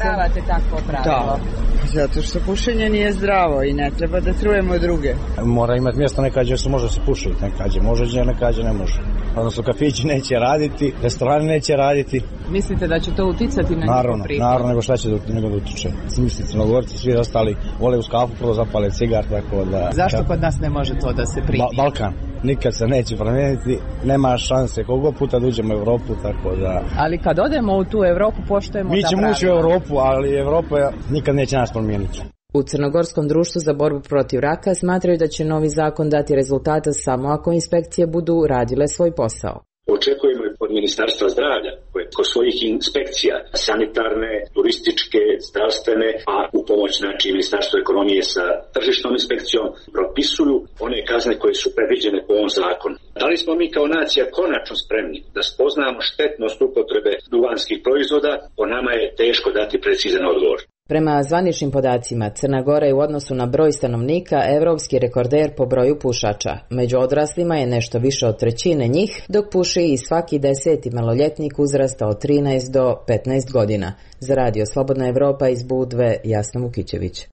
Pravate takvo pravilo? Da. Zato što pušenje nije zdravo i ne treba da trujemo druge. Mora imati mjesto nekađe se može se pušiti, nekađe može, nekađe ne može. Odnosno kafići neće raditi, restorani neće raditi. Mislite da će to uticati na njihov prihod? Naravno, nego šta će nego da utiče. Misli Crnogorci, svi ostali vole uz kafu prvo zapale cigar, tako da... Zašto kod nas ne može to da se primi? Balkan. Nikad se neće promijeniti, nema šanse koliko puta da uđemo u Evropu, tako da... Ali kad odemo u tu Evropu, poštujemo ta pravila. Mi ćemo ući u Evropu, ali Evropa nikad neće nas promijeniti. U Crnogorskom društvu za borbu protiv raka smatraju da će novi zakon dati rezultata samo ako inspekcije budu radile svoj posao. Očekujemo od Ministarstva zdravlja koje kod svojih inspekcija sanitarne, turističke, zdravstvene, a u pomoć Ministarstvo ekonomije sa tržišnom inspekcijom propisuju one kazne koje su predviđene po ovom zakonu. Da li smo mi kao nacija konačno spremni da spoznamo štetnost upotrebe duvanskih proizvoda? Po nama je teško dati precizan odgovor. Prema zvaničnim podacima, Crna Gora je u odnosu na broj stanovnika evropski rekorder po broju pušača. Među odraslima je nešto više od trećine njih, dok puši i svaki 10. maloljetnik uzrasta od 13 do 15 godina. Za Radio Slobodna Evropa iz Budve, Jasna Vukićević.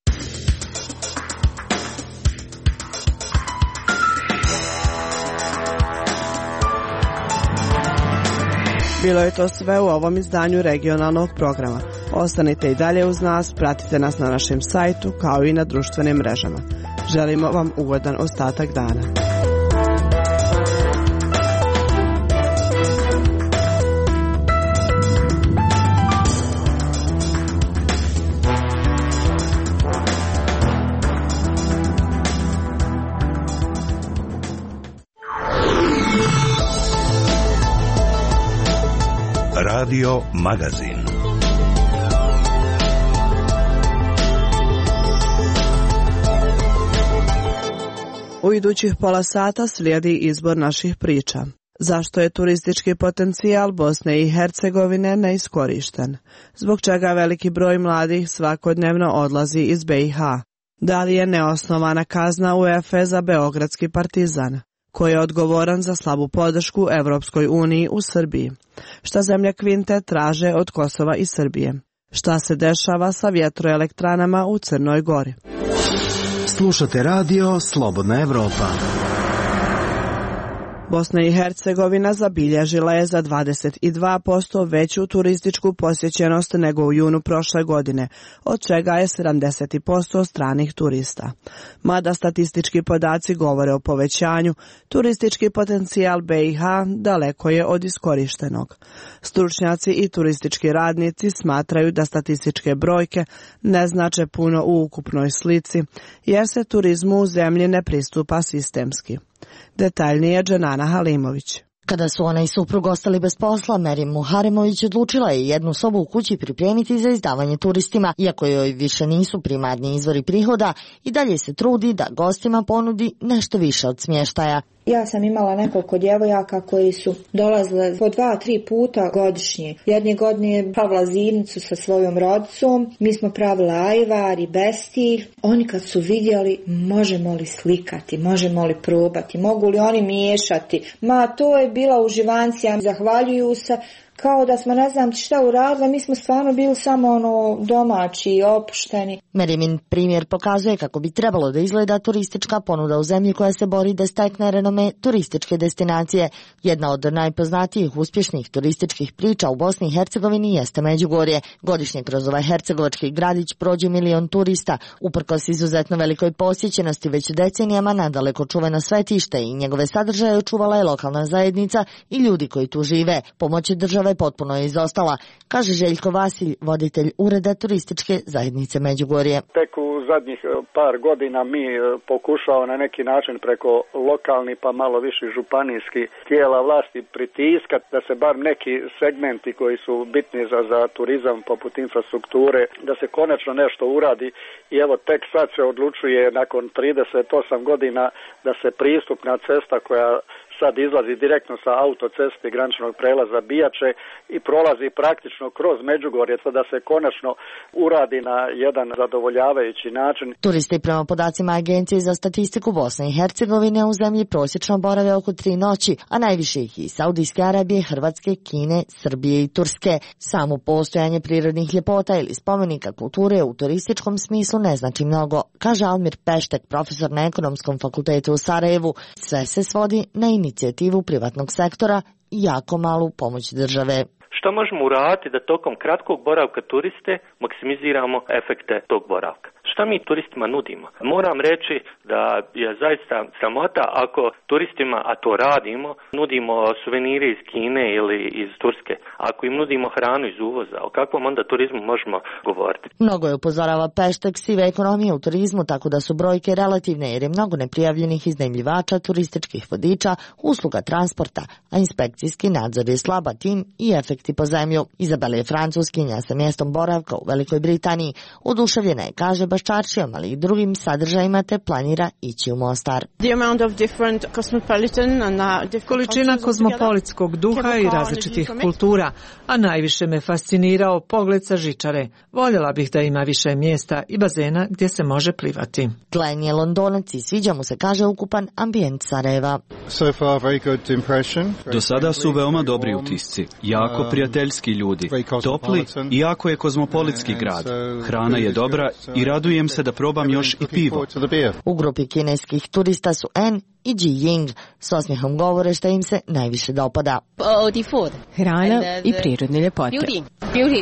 Bilo je to sve u ovom izdanju regionalnog programa. Ostanite i dalje uz nas, pratite nas na našem sajtu kao i na društvenim mrežama. Želimo vam ugodan ostatak dana. Radio Magazin. U idućih pola sata slijedi izbor naših priča. Zašto je turistički potencijal Bosne i Hercegovine neiskorišten? Zbog čega veliki broj mladih svakodnevno odlazi iz BiH? Da li je neosnovana kazna UEFA za beogradski Partizan? Ko je odgovoran za slabu podršku Evropskoj uniji u Srbiji? Šta zemlje Kvinte traže od Kosova i Srbije? Šta se dešava sa vjetroelektranama u Crnoj Gori? Slušate radio Slobodna Evropa. Bosna i Hercegovina zabilježila je za 22% veću turističku posjećenost nego u junu prošle godine, od čega je 70% stranih turista. Mada statistički podaci govore o povećanju, turistički potencijal BiH daleko je od iskorištenog. Stručnjaci i turistički radnici smatraju da statističke brojke ne znače puno u ukupnoj slici, jer se turizmu u zemlji ne pristupa sistemski. Detaljnije Dženana Halimović. Kada su ona i suprug ostali bez posla, Merim Muharemović odlučila je jednu sobu u kući pripremiti za izdavanje turistima. Iako joj više nisu primarni izvori prihoda, i dalje se trudi da gostima ponudi nešto više od smještaja. Ja sam imala nekoliko djevojaka koji su dolazile po 2-3 puta godišnje. Jedne godine je pravila zimnicu sa svojom rodicom, mi smo pravila ajvar i bestilj. Oni kad su vidjeli možemo li slikati, možemo li probati, mogu li oni miješati. To je bila uživancija, zahvaljuju se. Kao da smo ne znam šta uradili, mi smo stvarno bili samo domaći i opušteni. Merimin primjer pokazuje kako bi trebalo da izgleda turistička ponuda u zemlji koja se bori da stekne renome turističke destinacije. Jedna od najpoznatijih uspješnih turističkih priča u Bosni i Hercegovini jeste Međugorje. Godišnje kroz ovaj hercegovački gradić prođe 1 milion turista. Uprkos izuzetno velikoj posjećenosti već decenijama nadaleko čuveno svetište i njegove sadržaje očuvala je lokalna zajednica i ljudi koji tu žive. Pomoć države potpuno je izostala, kaže Željko Vasilj, voditelj ureda turističke zajednice Međugorje. Tek u zadnjih par godina mi pokušao na neki način preko lokalnih pa malo više županijskih tijela vlasti pritiskati da se bar neki segmenti koji su bitni za turizam poput infrastrukture, da se konačno nešto uradi i evo tek sad se odlučuje nakon 38 godina da se pristupna cesta koja sad izlazi direktno sa autoceste graničnog prelaza Bijače i prolazi praktično kroz Međugorje, da se konačno uradi na jedan zadovoljavajući način. Turisti prema podacima Agencije za statistiku Bosne i Hercegovine u zemlji prosječno borave oko 3 noći, a najviše ih iz Saudijske Arabije, Hrvatske, Kine, Srbije i Turske. Samo postojanje prirodnih ljepota ili spomenika kulture u turističkom smislu ne znači mnogo, kaže Almir Peštek, profesor na Ekonomskom fakultetu u Sarajevu. Sve se svodi na inicijativu privatnog sektora i jako malu pomoć države. Što možemo uraditi da tokom kratkog boravka turiste maksimiziramo efekte tog boravka? Šta mi turistima nudimo? Moram reći da je zaista sramota ako turistima, a to radimo, nudimo suvenire iz Kine ili iz Turske. Ako im nudimo hranu iz uvoza, o kakvom onda turizmu možemo govoriti? Mnogo je, upozorava Peštek, sive ekonomije u turizmu, tako da su brojke relativne jer je mnogo neprijavljenih iznajmljivača, turističkih vodiča, usluga transporta, a inspekcijski nadzor je slaba, tim i efekti po zemlju. Izabela je Francuskinja sa mjestom boravka u Velikoj Britaniji. Oduševljena je, kaže, baš čaršijom, ali i drugim sadržajima, te planira ići u Mostar. Količina kozmopolitskog duha i različitih kultura, a najviše me fascinirao pogled sa žičare. Voljela bih da ima više mjesta i bazena gdje se može plivati. Glenn je Londonac i sviđa mu se, kaže, ukupan ambijent Sarajeva. Do sada su veoma dobri utisci, jako prijateljski ljudi, topli i jako je kozmopolitski grad. Hrana je dobra i radujem se da probam još i pivo. U grupi kineskih turista su En i Ji Ying. S osmijehom govore što im se najviše dopada. Hrana i prirodne ljepote.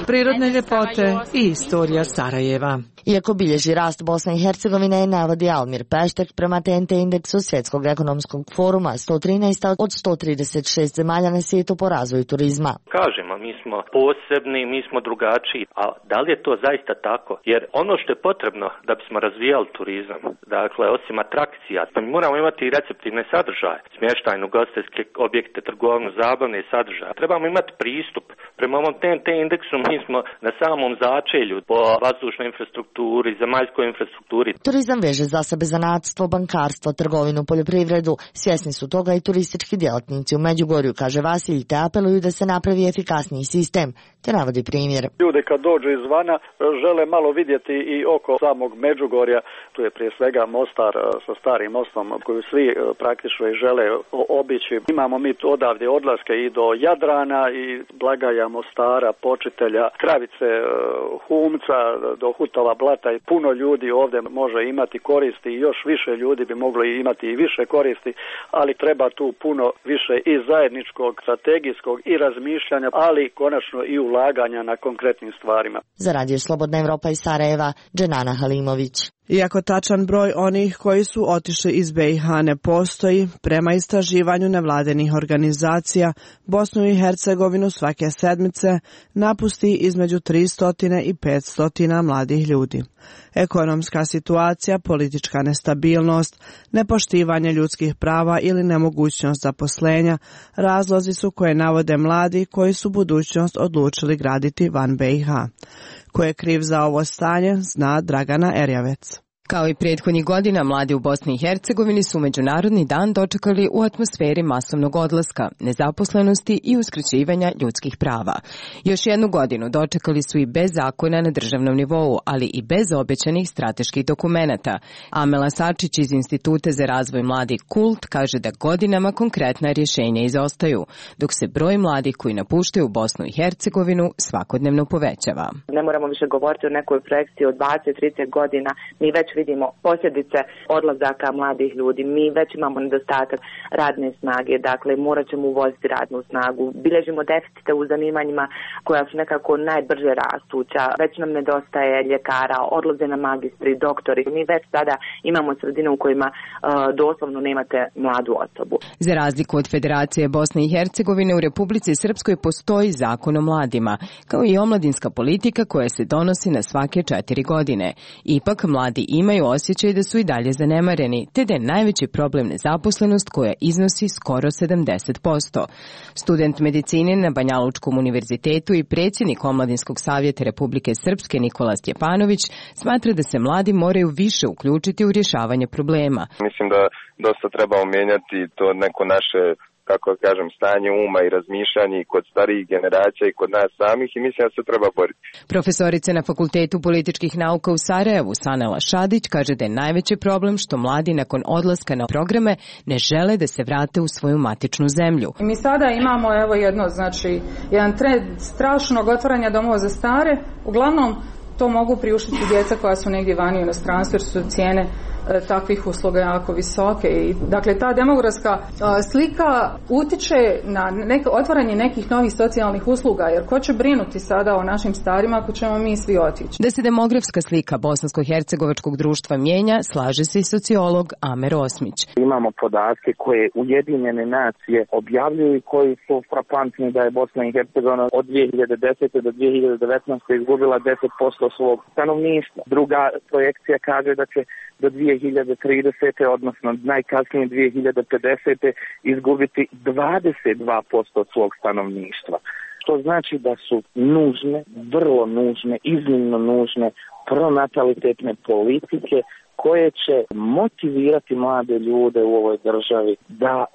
Prirodne ljepote i istorija Sarajeva. Iako bilježi rast Bosne i Hercegovine, navodi Almir Peštek, prema TNT indeksu Svjetskog ekonomskog foruma 113 od 136 zemalja na svijetu po razvoju turizma. Kažemo, mi smo posebni, mi smo drugačiji, a da li je to zaista tako? Jer ono što je potrebno da bismo razvijali turizam, dakle, osim atrakcija, mi moramo imati i receptivne sadržaje, smještajne ugostiteljske objekte, trgovinu, zabavne sadržaje. Trebamo imati pristup. Prema ovom TNT indeksu mi smo na samom začelju po vazdušnoj infrastrukturi, zemaljskoj infrastrukturi. Turizam veže za sebe zanatstvo, bankarstvo, trgovinu, poljoprivredu. Svjesni su toga i turistički djelatnici u Međugorju, kaže Vasilj, te apeluju da se napravi efikasniji sistem, te navodi primjer. Ljudi kad dođu izvana žele malo vidjeti i oko samog Međugorja, tu je prije svega Mostar sa starim mostom koju svi praktično i žele obići. Imamo mi odavdje odlaske i do Jadrana i Blagaja, Mostara, Počitelja, Kravice, Humca, do Hutova Blata i puno ljudi ovdje može imati koristi i još više ljudi bi moglo imati i više koristi, ali treba tu puno više i zajedničkog, strategijskog i razmišljanja, ali konačno i ulaganja na konkretnim stvarima. Za Radio Slobodna Evropa iz Sarajeva, Dženana Halimović. Iako tačan broj onih koji su otišli iz BiH ne postoji, prema istraživanju nevladenih organizacija, Bosnu i Hercegovinu svake sedmice napusti između 300 i 500 mladih ljudi. Ekonomska situacija, politička nestabilnost, nepoštivanje ljudskih prava ili nemogućnost zaposlenja razlozi su koje navode mladi koji su budućnost odlučili graditi van BiH. Ko je kriv za ovo stanje, zna Dragana Erjavec. Kao i prethodnih godina, mladi u Bosni i Hercegovini su Međunarodni dan dočekali u atmosferi masovnog odlaska, nezaposlenosti i uskraćivanja ljudskih prava. Još jednu godinu dočekali su i bez zakona na državnom nivou, ali i bez obećanih strateških dokumenata. Amela Sačić iz Instituta za razvoj mladih KULT kaže da godinama konkretna rješenja izostaju, dok se broj mladih koji napuštaju Bosnu i Hercegovinu svakodnevno povećava. Ne moramo više govoriti o nekoj projekciji od 20-30 godina, mi već vidimo posljedice odlazaka mladih ljudi. Mi već imamo nedostatak radne snage, dakle morat ćemo uvoziti radnu snagu. Bilježimo deficite u zanimanjima koja su nekako najbrže rastuća. Već nam nedostaje ljekara, odlaze na magistri, doktori. Mi već sada imamo sredine u kojima doslovno nemate mladu osobu. Za razliku od Federacije Bosne i Hercegovine, u Republici Srpskoj postoji zakon o mladima, kao i omladinska politika koja se donosi na svake 4 godine. Ipak mladi imaju osjećaj da su i dalje zanemareni, te da je najveći problem nezaposlenost koja iznosi skoro 70%. Student medicine na Banjalučkom univerzitetu i predsjednik Omladinskog savjeta Republike Srpske Nikola Stjepanović smatra da se mladi moraju više uključiti u rješavanje problema. Mislim da dosta trebamo mijenjati to neko naše, kako kažem, stanje uma i razmišljanje kod starijih generacija i kod nas samih i mislim da se treba boriti. Profesorica na Fakultetu političkih nauka u Sarajevu, Sanela Šadić, kaže da je najveći problem što mladi nakon odlaska na programe ne žele da se vrate u svoju matičnu zemlju. Mi sada imamo jedan trend strašnog otvaranja domova za stare. Uglavnom to mogu priuštiti djeca koja su negdje vani u inostranstvu jer su cijene takvih usluga jako visoke. I, dakle, ta demografska slika utiče na otvaranje nekih novih socijalnih usluga, jer ko će brinuti sada o našim starima ako ćemo mi svi otići? Da se demografska slika bosansko-hercegovačkog društva mijenja, slaže se i sociolog Amer Osmić. Imamo podatke koje Ujedinjene nacije objavljuju i koji su frapantni da je Bosna i Hercegovina od 2010. do 2019. izgubila 10% svog stanovništva. Druga projekcija kaže da će do 2030. odnosno najkasnije 2050. izgubiti 22% svog stanovništva. što znači da su nužne, vrlo nužne, iznimno nužne pronatalitetne politike koje će motivirati mlade ljude u ovoj državi da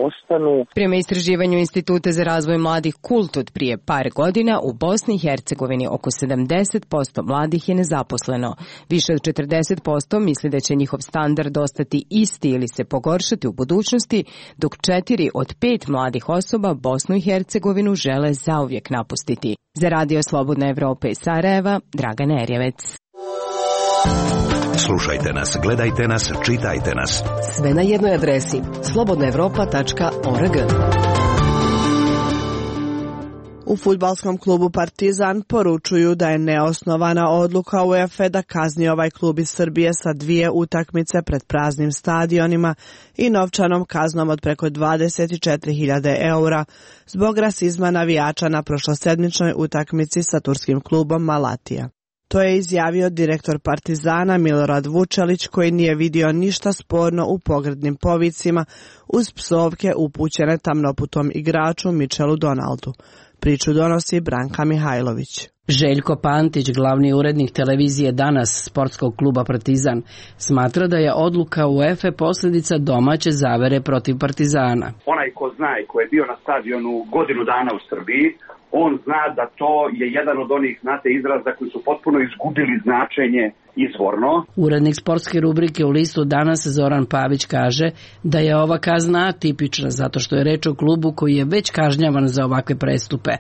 ostanu. Prema istraživanju Instituta za razvoj mladih Kult od prije par godina, u Bosni i Hercegovini oko 70% mladih je nezaposleno. Više od 40% misli da će njihov standard ostati isti ili se pogoršati u budućnosti, dok 4 od 5 mladih osoba Bosnu i Hercegovinu žele zauvijek napustiti. Za Radio Slobodna Evropa iz Sarajeva, Dragana Erjevec. Slušajte nas, gledajte nas, čitajte nas. Sve na jednoj adresi slobodnaevropa.org. U fudbalskom klubu Partizan poručuju da je neosnovana odluka UEFA da kazni ovaj klub iz Srbije sa 2 utakmice pred praznim stadionima i novčanom kaznom od preko 24.000 eura zbog rasizma navijača na prošlosedmičnoj utakmici sa turskim klubom Malatija. To je izjavio direktor Partizana Milorad Vučelić, koji nije vidio ništa sporno u pogrdnim povicima uz psovke upućene tamnoputom igraču Michelu Donaldu. Priču donosi Branka Mihajlović. Željko Pantić, glavni urednik televizije Danas sportskog kluba Partizan, smatra da je odluka UEFA posljedica domaće zavere protiv Partizana. Onaj ko zna i ko je bio na stadionu godinu dana u Srbiji, on zna da to je jedan od onih, izraza koji su potpuno izgubili značenje izvorno. Urednik sportske rubrike u listu Danas Zoran Pavić kaže da je ova kazna atipična zato što je reč o klubu koji je već kažnjavan za ovakve prestupe,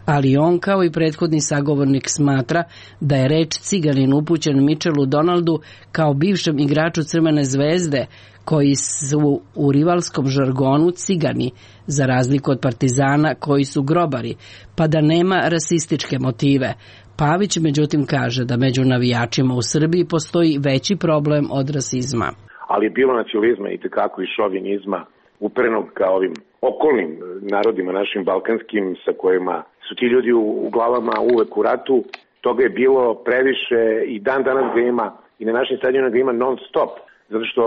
ali on kao i prethodni sagovornik smatra da je reč ciganin upućen Michelu Donaldu kao bivšem igraču Crvene zvezde, koji su u rivalskom žargonu cigani, za razliku od Partizana koji su grobari, pa da nema rasističke motive. Pavić međutim kaže da među navijačima u Srbiji postoji veći problem od rasizma. Ali je bilo nacionalizma i tekako i šovinizma uperenog ka ovim okolnim narodima našim balkanskim sa kojima su ti ljudi u glavama uvek u ratu. Toga je bilo previše i dan danas ga ima i na našim stadionima ga ima non stop. Zato što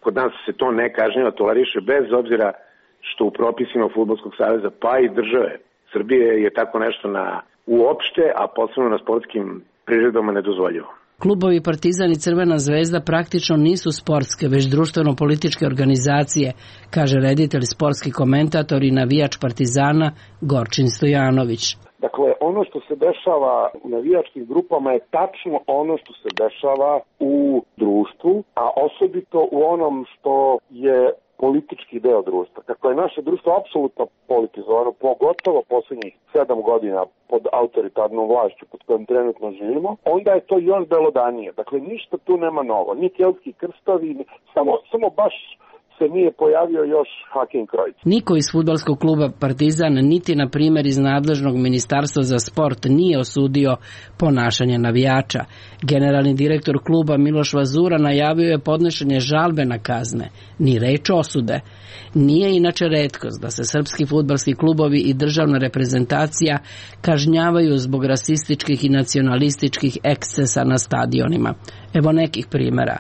kod nas se to ne kažnjava, toleriše bez obzira što u propisima Fudbalskog saveza pa i države Srbije je tako nešto uopšte, a posebno na sportskim priredbama nedozvoljivo. Klubovi Partizan i Crvena zvezda praktično nisu sportske, već društveno-političke organizacije, kaže reditelj, sportski komentator i navijač Partizana Gorčin Stojanović. Dakle, ono što se dešava u navijačkim grupama je tačno ono što se dešava u društvu, a osobito u onom što je politički deo društva. Kako je naše društvo apsolutno politizovano, pogotovo posljednjih 7 godina pod autoritarnom vlašću pod kojom trenutno živimo, onda je to još belodanije. Dakle, ništa tu nema novo. Ni keltski krstovi, samo baš se nije pojavio još Hakim Krojc. Niko iz fudbalskog kluba Partizan, niti na primjer iz nadležnog ministarstva za sport, nije osudio ponašanje navijača. Generalni direktor kluba Miloš Vazura najavio je podnošenje žalbe na kazne, ni reč osude. Nije inače retkost da se srpski fudbalski klubovi i državna reprezentacija kažnjavaju zbog rasističkih i nacionalističkih ekscesa na stadionima. Evo nekih primjera.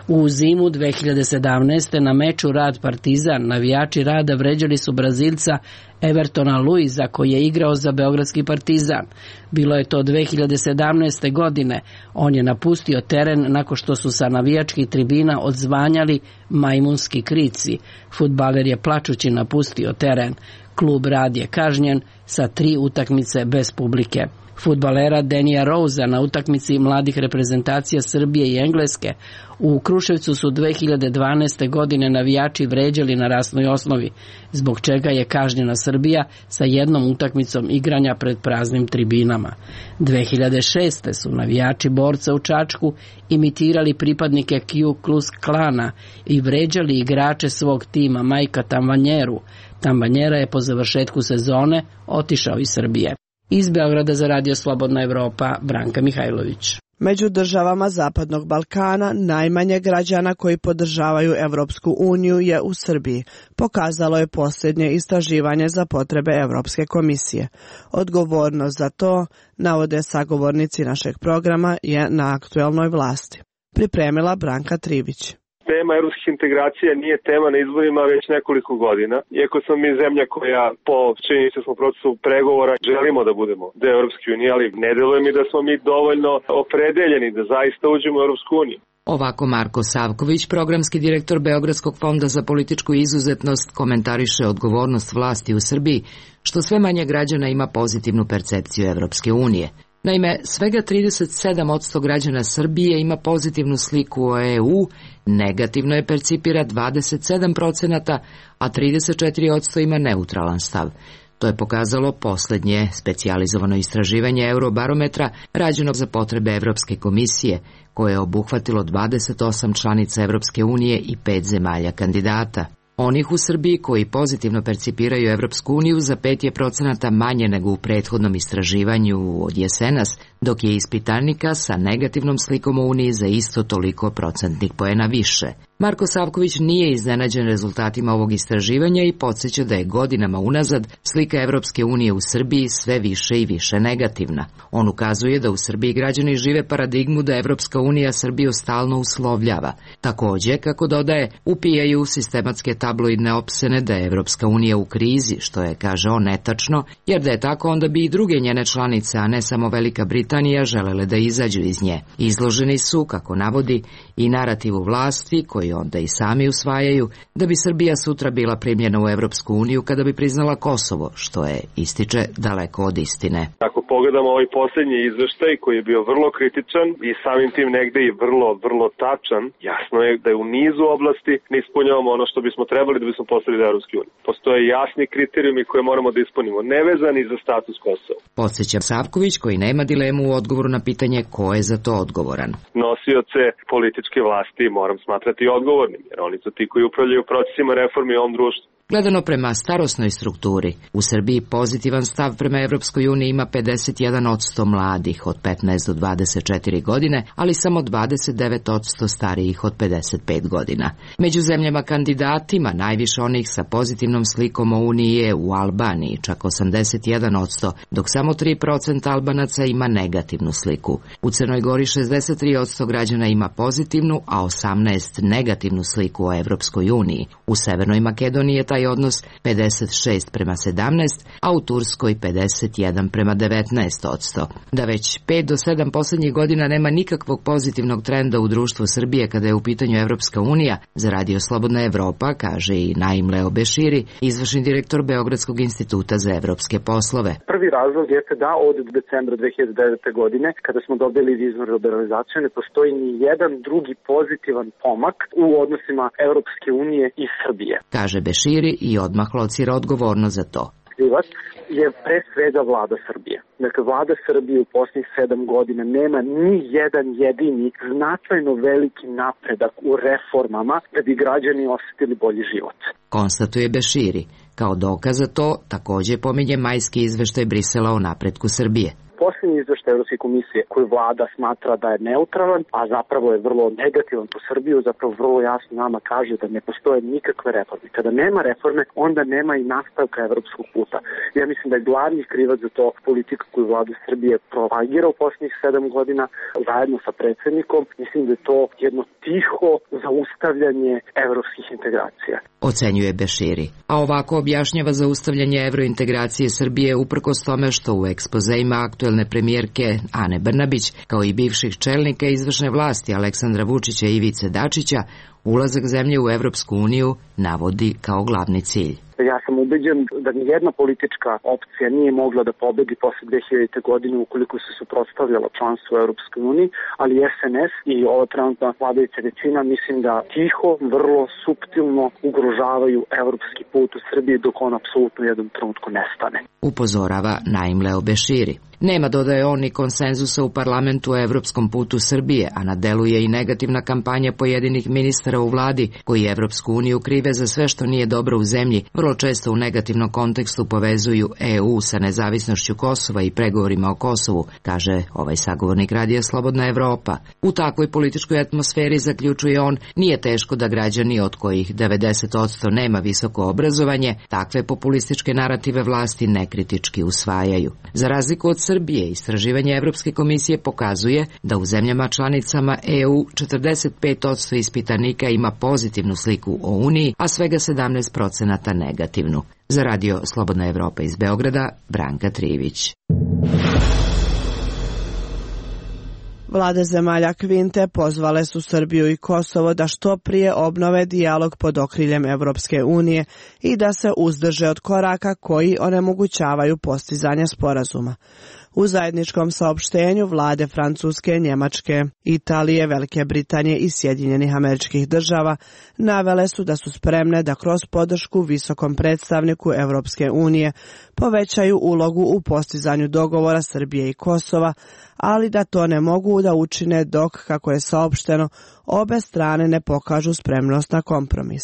U zimu 2017. na meču Rad Partizan navijači Rada vređali su Brazilca Evertona Luiza koji je igrao za beogradski Partizan. Bilo je to 2017. godine. On je napustio teren nakon što su sa navijačkih tribina odzvanjali majmunski krici. Fudbaler je plačući napustio teren. Klub Rad je kažnjen sa 3 utakmice bez publike. Fudbalera Denija Rouza na utakmici mladih reprezentacija Srbije i Engleske u Kruševcu su 2012. godine navijači vređali na rasnoj osnovi, zbog čega je kažnjena Srbija sa 1 utakmicom igranja pred praznim tribinama. 2006. su navijači Borca u Čačku imitirali pripadnike Ku Klux Klana i vređali igrače svog tima Majka Tambanjeru. Tambanjera je po završetku sezone otišao iz Srbije. Iz Beograda za Radio Slobodna Evropa, Branka Mihajlović. Među državama Zapadnog Balkana najmanje građana koji podržavaju Evropsku uniju je u Srbiji, pokazalo je posljednje istraživanje za potrebe Evropske komisije. Odgovornost za to, navode sagovornici našeg programa, je na aktuelnoj vlasti. Pripremila Branka Trivić. Tema evropskih integracija nije tema na izborima već nekoliko godina. Iako smo mi zemlja koja po činjenicom procesu pregovora želimo da budemo deo Evropske unije, ali ne deluje mi da smo mi dovoljno opredeljeni da zaista uđemo u Evropsku uniju. Ovako Marko Savković, programski direktor Beogradskog fonda za političku izuzetnost, komentariše odgovornost vlasti u Srbiji, što sve manje građana ima pozitivnu percepciju Evropske unije. Naime, svega 37% građana Srbije ima pozitivnu sliku o EU, negativno je percipira 27%, a 34% ima neutralan stav. To je pokazalo poslednje specijalizovano istraživanje Eurobarometra rađeno za potrebe Evropske komisije, koje je obuhvatilo 28 članica Evropske unije i 5 zemalja kandidata. Onih u Srbiji koji pozitivno percipiraju Evropsku uniju za 5% manje nego u prethodnom istraživanju od jesenas, dok je ispitanika sa negativnom slikom o Uniji za isto toliko procentnih poena više. Marko Savković nije iznenađen rezultatima ovog istraživanja i podsjeća da je godinama unazad slika Evropske unije u Srbiji sve više i više negativna. On ukazuje da u Srbiji građani žive paradigmu da Evropska unija Srbiju stalno uslovljava. Takođe, kako dodaje, upijaju sistematske tabloidne opsene da je Evropska unija u krizi, što je, kaže on, netačno, jer da je tako onda bi i druge njene članice, a ne samo Velika Britanija, želele da izađu iz nje. Izloženi su, kako navodi, i narativu vlasti koji onda i sami usvajaju da bi Srbija sutra bila primljena u Evropsku uniju kada bi priznala Kosovo, što je, ističe, daleko od istine. Ako pogledamo ovaj posljednji izveštaj koji je bio vrlo kritičan i samim tim negde i vrlo tačan, jasno je da je u nizu oblasti ne ispunjavamo ono što bismo trebali da bismo postali do Evropske unije. Postoje jasni kriterijumi koje moramo da ispunimo, nevezani za status Kosova. Podsjeća Savković, koji nema dilemu u odgovoru na pitanje ko je za to odgovoran. Nosioce političke vlasti moram smatrati odgovornim, jer oni su ti koji upravljaju procesima reformi u ovom društvu. Gledano prema starosnoj strukturi, u Srbiji pozitivan stav prema Evropskoj uniji ima 51% mladih od 15 do 24 godine, ali samo 29% starijih od 55 godina. Među zemljama kandidatima najviše onih sa pozitivnom slikom o Uniji je u Albaniji, čak 81%, dok samo 3% Albanaca ima negativnu sliku. U Crnoj Gori 63% građana ima pozitivnu, a 18% negativnu sliku o Evropskoj uniji. U Severnoj Makedoniji je taj odnos 56:17, a u Turskoj 51:19%. Da već 5 do 7 poslednjih godina nema nikakvog pozitivnog trenda u društvu Srbije kada je u pitanju Evropska unija, za Radio Slobodna Evropa, kaže i Naim Leo Beširi, izvršni direktor Beogradskog instituta za evropske poslove. Prvi razlog jeste da od decembra 2009. godine, kada smo dobili viznu liberalizaciju, ne postoji ni jedan drugi pozitivan pomak u odnosima Evropske unije i Srbije. Kaže Beširi i odmah locira odgovornost za to. Krivac je pre svega vlada Srbije. Dakle, vlada Srbije u posljednjih 7 godina nema ni jedan jedini značajno veliki napredak u reformama da bi građani osetili bolji život. Konstatuje Beširi. Kao dokaz za to takođe pominje majski izveštaj Brisela o napretku Srbije. Posljednji izveštaj Evropske komisije koju vlada smatra da je neutralan, a zapravo je vrlo negativan po Srbiju, zapravo vrlo jasno nama kaže da ne postoje nikakve reforme. Kada nema reforme, onda nema i nastavka evropskog puta. Ja mislim da je glavni krivac za to politika koju vlada Srbije propagira u posljednjih 7 godina zajedno sa predsjednikom. Mislim da je to jedno tiho zaustavljanje evropskih integracija. Ocenjuje Beširi. A ovako objašnjava zaustavljanje evrointegracije Srbije uprkos tome što u ekspozeima aktuelne premijerke Ane Brnabić, kao i bivših čelnika izvršne vlasti Aleksandra Vučića i Ivice Dačića, ulazak zemlje u Evropsku uniju navodi kao glavni cilj. Ja sam ubeđen da nijedna politička opcija nije mogla da pobedi posle 2000. godine ukoliko se suprotstavljala članstvu u Evropskoj uniji, ali SNS i ova trenutna vladajuća većina mislim da tiho, vrlo suptilno ugrožavaju evropski put u Srbiji dok on apsolutno u jednom trenutku nestane. Upozorava Naim Leo Beširi. Nema, dodaje on, ni konsenzusa u parlamentu o evropskom putu Srbije, a na delu je i negativna kampanja pojedinih ministara u vladi koji Evropsku uniju krive za sve što nije dobro u zemlji, vrlo često u negativnom kontekstu povezuju EU sa nezavisnošću Kosova i pregovorima o Kosovu, kaže ovaj sagovornik Radija Slobodna Evropa. U takvoj političkoj atmosferi, zaključuje on, nije teško da građani, od kojih 90% nema visoko obrazovanje, takve populističke narative vlasti nekritički usvajaju. Za razliku od Srbije, istraživanje Evropske komisije pokazuje da u zemljama članicama EU 45% ispitanika ima pozitivnu sliku o Uniji, a svega 17% negativnu. Za Radio Slobodna Evropa iz Beograda, Branka Trivić. Vlade zemalja Kvinte pozvale su Srbiju i Kosovo da što prije obnove dijalog pod okriljem Evropske unije i da se uzdrže od koraka koji onemogućavaju postizanje sporazuma. U zajedničkom saopštenju vlade Francuske, Njemačke, Italije, Velike Britanije i Sjedinjenih Američkih Država navele su da su spremne da kroz podršku visokom predstavniku Evropske unije povećaju ulogu u postizanju dogovora Srbije i Kosova, ali da to ne mogu da učine dok, kako je saopšteno, obe strane ne pokažu spremnost na kompromis.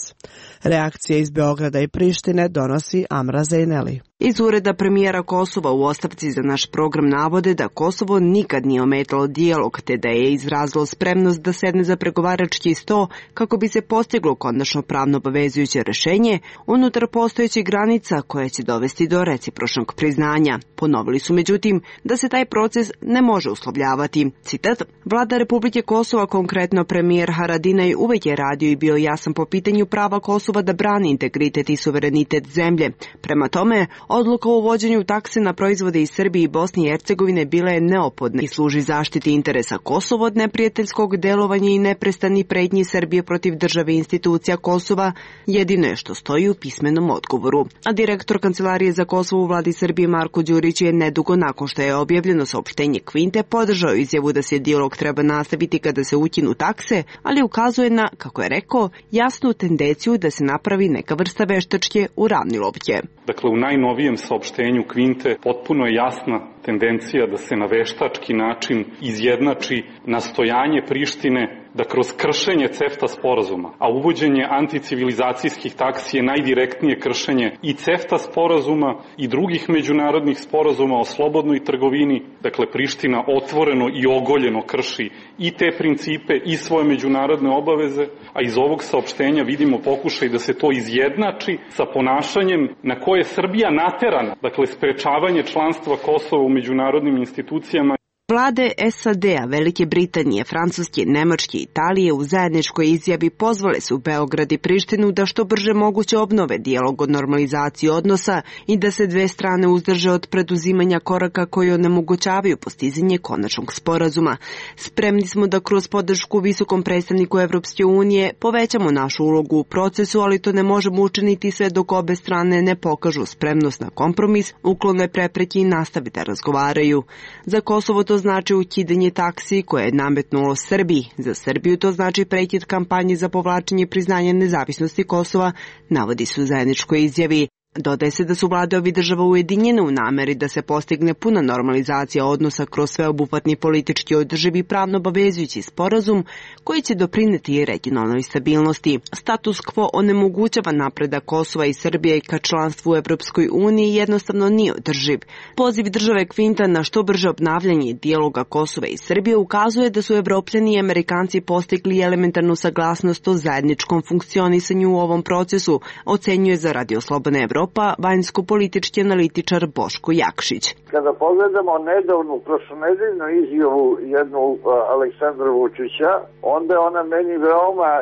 Reakcije iz Beograda i Prištine donosi Amra Zejneli. Iz ureda premijera Kosova u ostavci za naš program navode da Kosovo nikad nije ometalo dijalog, te da je izrazilo spremnost da sedne za pregovarački sto kako bi se postiglo konačno pravno obavezujuće rešenje unutar postojećih granica koje će dovesti do recipročnog priznanja. Ponovili su međutim da se taj proces ne može uslovljavati. Citat: Vlada Republike Kosova, konkretno premijer Haradinaj, uvek je radio i bio jasan po pitanju prava Kosova da brani integritet i suverenitet zemlje. Prema tome, odluka o uvođenju takse na proizvode iz Srbije i Bosne i Hercegovine bila je neophodna i služi zaštiti interesa Kosova od neprijateljskog delovanja i neprestani pretnji Srbije protiv države i institucija Kosova, jedino je što stoji u pismenom odgovoru. A direktor Kancelarije za Kosovo u vladi Srbije Marko Đurić je nedugo nakon što je objavljeno saopštenje Kvinte podržao izjavu da se dijalog treba nastaviti kada se ukinu takse, ali ukazuje na, kako je rekao, jasnu tendenciju da se napravi neka vrsta veštačke uravnilovke. Dakle, u najnovijem saopštenju Kvinte potpuno je jasna tendencija da se na veštački način izjednači nastojanje Prištine da kroz kršenje CEFTA sporazuma, a uvođenje anticivilizacijskih taksi je najdirektnije kršenje i CEFTA sporazuma i drugih međunarodnih sporazuma o slobodnoj trgovini, dakle Priština otvoreno i ogoljeno krši i te principe i svoje međunarodne obaveze, a iz ovog saopštenja vidimo pokušaj da se to izjednači sa ponašanjem na koje je Srbija naterana, dakle sprečavanje članstva Kosova u međunarodnim institucijama. Vlade SAD-a, Velike Britanije, Francuske, Nemačke i Italije u zajedničkoj izjavi pozvale su Beograd i Prištinu da što brže moguće obnove dijalog o normalizaciji odnosa i da se dve strane uzdrže od preduzimanja koraka koji onemogućavaju postizanje konačnog sporazuma. Spremni smo da kroz podršku visokom predstavniku Evropske unije povećamo našu ulogu u procesu, ali to ne možemo učiniti sve dok obe strane ne pokažu spremnost na kompromis, uklone prepreke i nastave da razgovaraju. Za Kosovo to znači ukidanje taksi koje je nametnulo Srbiji. Za Srbiju to znači prekid kampanje za povlačenje priznanja nezavisnosti Kosova, navodi se u zajedničkoj izjavi. Dodaje se da su vlade ovih država ujedinjene u nameri da se postigne puna normalizacija odnosa kroz sveobuhvatni politički održivi pravno obavezujući sporazum koji će doprineti i regionalnoj stabilnosti. Status quo onemogućava napredak Kosova i Srbije ka članstvu u Evropskoj uniji jednostavno nije održiv. Poziv države Kvinta na što brže obnavljanje dijaloga Kosova i Srbije ukazuje da su Evropljani i Amerikanci postigli elementarnu saglasnost o zajedničkom funkcionisanju u ovom procesu, ocenjuje za Radio Slobodna Evropa vanjsko-politički analitičar Boško Jakšić. Kada pogledamo nedavnu prošlonedeljnu izjavu jednu Aleksandra Vučića, onda je ona meni veoma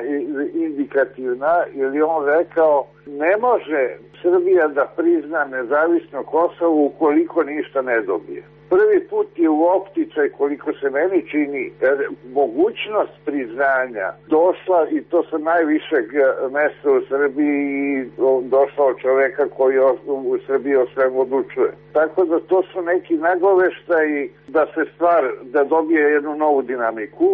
indikativna, jer je on rekao ne može Srbija da prizna nezavisno Kosovo ukoliko ništa ne dobije. Prvi put je u opticaj, koliko se meni čini, mogućnost priznanja došla i to sa najvišeg mesta u Srbiji i došla od čoveka koji u Srbiji o svemu odlučuje. Tako da to su neki nagoveštaji da dobije jednu novu dinamiku,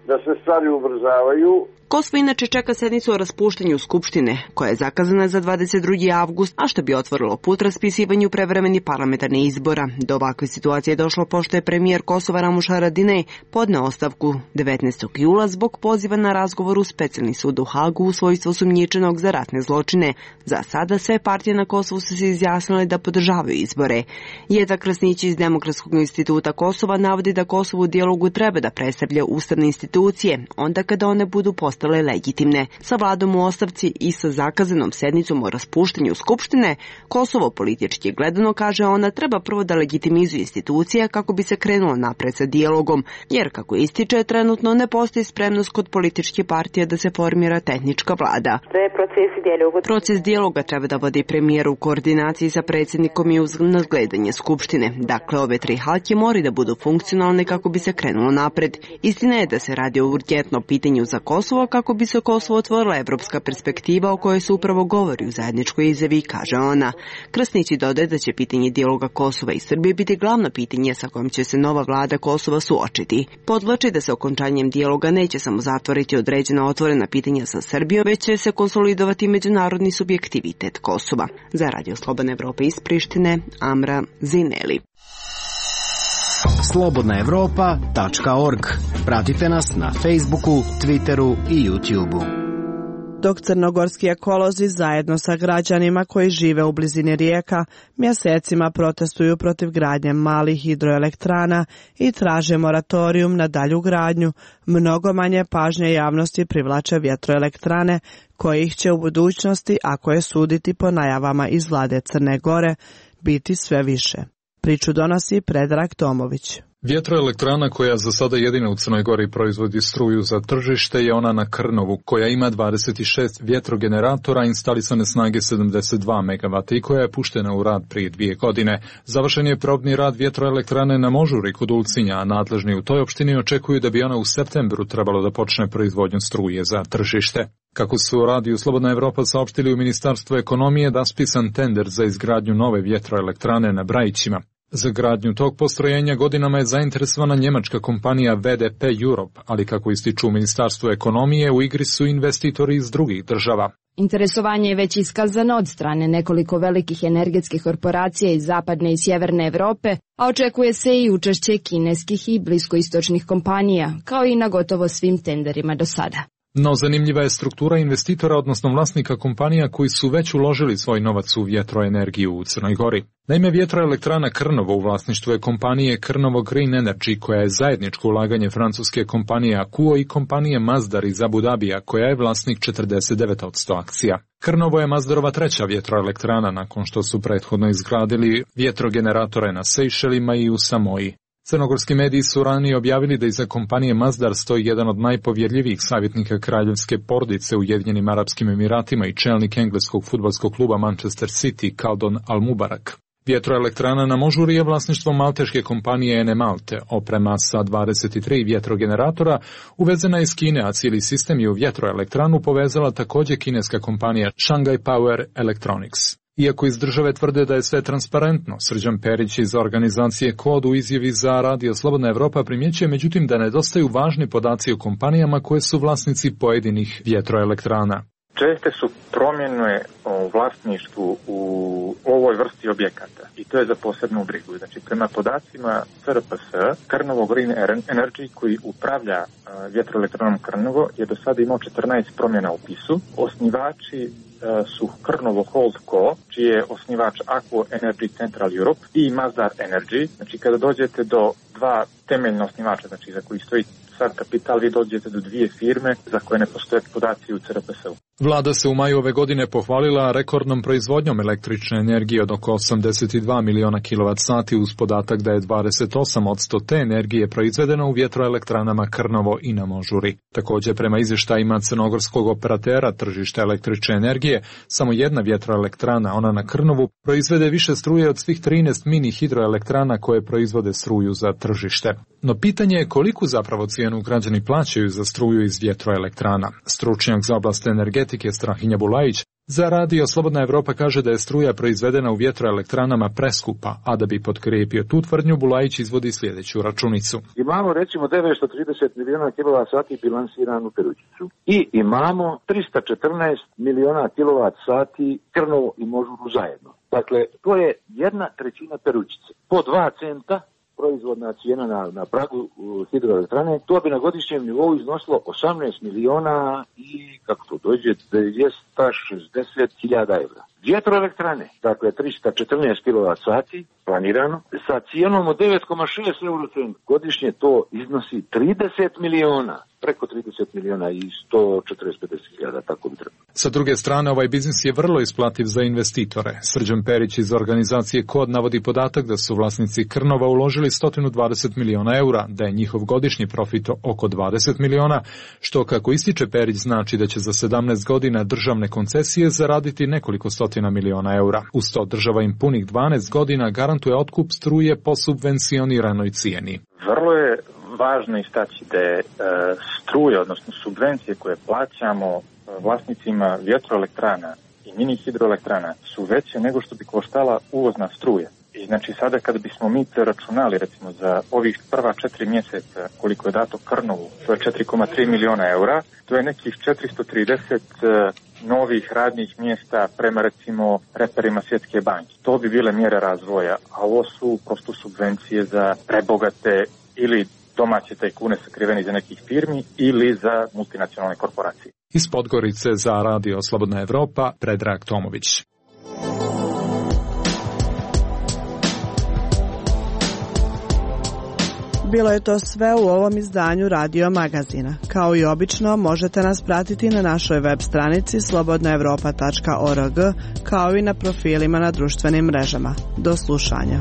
da se stvari ubrzavaju. Kosovo inače čeka sednicu o raspuštanju Skupštine, koja je zakazana za 22. avgust, a što bi otvorilo put raspisivanju prevremenih parlamentarnih izbora. Do ovakve situacije je došlo pošto je premijer Kosova Ramuš Haradinaj podneo ostavku 19. jula zbog poziva na razgovor u specijalni sud u Hagu u svojstvu osumnjičenog za ratne zločine. Za sada sve partije na Kosovu su se izjasnile da podržavaju izbore. Jeta Krasnić iz Demokratskog instituta Kosova navodi da Kosovo u dijalogu treba da predstavlja ustavne institucije, onda kada one budu postavljene ostale legitimne. Sa vladom u ostavci i sa zakazanom sednicom o raspuštanju Skupštine, Kosovo politički gledano, kaže ona, treba prvo da legitimizuje institucija kako bi se krenulo napred sa dijalogom, jer kako ističe, trenutno ne postoji spremnost kod političke partije da se formira tehnička vlada. Proces dijaloga treba da vodi premijer u koordinaciji sa predsjednikom i uz nadgledanje Skupštine. Dakle, ove tri halke moraju da budu funkcionalne kako bi se krenulo napred. Istina je da se radi o urgentnom pitanju za Kosovo kako bi se Kosovo otvorila evropska perspektiva o kojoj se upravo govori u zajedničkoj izjavi, kaže ona. Krasnić dodaje da će pitanje dijaloga Kosova i Srbije biti glavno pitanje sa kojim će se nova vlada Kosova suočiti. Podvlači da se okončanjem dijaloga neće samo zatvoriti određena otvorena pitanja sa Srbijom, već će se konsolidovati međunarodni subjektivitet Kosova. Za Radio Slobodna Evropa iz Prištine, Amra Zineli. slobodnaevropa.org. Pratite nas na Facebooku, Twitteru i YouTubeu. Dok crnogorski ekolozi zajedno sa građanima koji žive u blizini rijeka mjesecima protestuju protiv gradnje malih hidroelektrana i traže moratorijum na dalju gradnju, mnogo manje pažnje javnosti privlače vjetroelektrane kojih će u budućnosti, ako je suditi po najavama iz vlade Crne Gore, biti sve više. Priču donosi Predrag Tomović. Vjetroelektrana koja za sada jedina u Crnoj Gori proizvodi struju za tržište je ona na Krnovu, koja ima 26 vjetrogeneratora instalisane snage 72 MW i koja je puštena u rad prije 2 godine. Završen je probni rad vjetroelektrane na Možuri kod Ulcinja, a nadležni u toj opštini očekuju da bi ona u septembru trebalo da počne proizvodnju struje za tržište. Kako su u radiju Slobodna Evropa saopštili u Ministarstvu ekonomije, raspisan tender za izgradnju nove vjetroelektrane na Brajićima. Za gradnju tog postrojenja godinama je zainteresovana njemačka kompanija VDP Europe, ali kako ističu u Ministarstvu ekonomije, u igri su investitori iz drugih država. Interesovanje je već iskazano od strane nekoliko velikih energetskih korporacija iz zapadne i sjeverne Evrope, a očekuje se i učešće kineskih i bliskoistočnih kompanija, kao i na gotovo svim tenderima do sada. No zanimljiva je struktura investitora, odnosno vlasnika kompanija koji su već uložili svoj novac u vjetroenergiju u Crnoj Gori. Naime, vjetroelektrana Krnovo u vlasništvu je kompanije Krnovo Green Energy, koja je zajedničko ulaganje francuske kompanije Akuo i kompanije Masdar iz Abu Dabija, koja je vlasnik 49% akcija. Krnovo je Masdarova treća vjetroelektrana nakon što su prethodno izgradili vjetrogeneratore na Sejšelima i u Samoji. Crnogorski mediji su ranije objavili da iza kompanije Masdar stoji jedan od najpovjerljivijih savjetnika kraljevske porodice u Ujedinjenim Arapskim Emiratima i čelnik engleskog fudbalskog kluba Manchester City, Kaldon Al-Mubarak. Vjetroelektrana na Možuri je vlasništvo malteške kompanije Ene Malte, oprema sa 23 vjetrogeneratora uvezena iz Kine, a cijeli sistem je u vjetroelektranu povezala također kineska kompanija Shanghai Power Electronics. Iako iz države tvrde da je sve transparentno, Srđan Perić iz organizacije Kod u izjavi za Radio Slobodna Evropa primjećuje međutim da nedostaju važni podaci o kompanijama koje su vlasnici pojedinih vjetroelektrana. Česte su promjene u vlasništvu u ovoj vrsti objekata i to je za posebnu brigu. Znači, prema podacima CRPS, Krnovo Green Energy koji upravlja vjetroelektranom Krnovo je do sada imao 14 promjena u upisu. Osnivači su Krnovo Holdco, čiji je osnivač Aqua Energy Central Europe i Masdar Energy. Znači, kada dođete do dva temeljna osnivača, znači za koji stoji sad kapital, vi dođete do dvije firme za koje ne postoje podaci u CRPS-u. Vlada se u maju ove godine pohvalila rekordnom proizvodnjom električne energije od oko 82 miliona kWh uz podatak da je 28% te energije proizvedeno u vjetroelektranama Krnovo i na Možuri. Također, prema izvještajima crnogorskog operatera tržišta električne energije, samo jedna vjetroelektrana, ona na Krnovu, proizvede više struje od svih 13 mini hidroelektrana koje proizvode struju za tržište. No pitanje je koliku zapravo cijenu građani plaćaju za struju iz vjetroelektrana. Stručnjak za oblast energetike Strahinja Bulajić za Radio Slobodna Evropa kaže da je struja proizvedena u vjetroelektranama preskupa, a da bi potkrijepio tu tvrdnju, Bulajić izvodi sljedeću računicu. Imamo recimo 930 miliona kWh bilansiranu Perućicu i imamo 314 miliona kWh Krnovo i Možuru zajedno. Dakle, to je 1/3 Perućice. Po 2 centa proizvodna cijena na pragu hidroelektrane, to bi na godišnjem nivou iznosilo 18 miliona i, kako to dođe, 260.000 evra. Vjetroelektrane, dakle 314 kWh planirano, sa cijenom od 9,6 eurocent godišnje to iznosi 30 miliona. preko 30 miliona i 140-50.000, tako bi trebalo. Sa druge strane, ovaj biznis je vrlo isplativ za investitore. Srđan Perić iz organizacije Kod navodi podatak da su vlasnici Krnova uložili 120 miliona eura, da je njihov godišnji profit oko 20 miliona, što, kako ističe Perić, znači da će za 17 godina državne koncesije zaraditi nekoliko stotina miliona eura. Uz to država im punih 12 godina garantuje otkup struje po subvencioniranoj cijeni. Vrlo je važno istaći da je struje, odnosno subvencije koje plaćamo vlasnicima vjetroelektrana i mini hidroelektrana su veće nego što bi koštala uvozna struja. I znači sada kada bismo mi računali recimo za ovih prva 4 mjeseca koliko je dato Krnovu, to je 4,3 miliona eura, to je nekih 430 novih radnih mjesta prema recimo reperima Svjetske banke. To bi bile mjere razvoja, a ovo su prosto subvencije za prebogate ili domaće tajkune sakriveni za nekih firmi ili za multinacionalne korporacije. Iz Podgorice za Radio Slobodna Evropa, Predrag Tomović. Bilo je to sve u ovom izdanju Radio Magazina. Kao i obično, možete nas pratiti na našoj web stranici slobodnaevropa.org, kao i na profilima na društvenim mrežama. Do slušanja.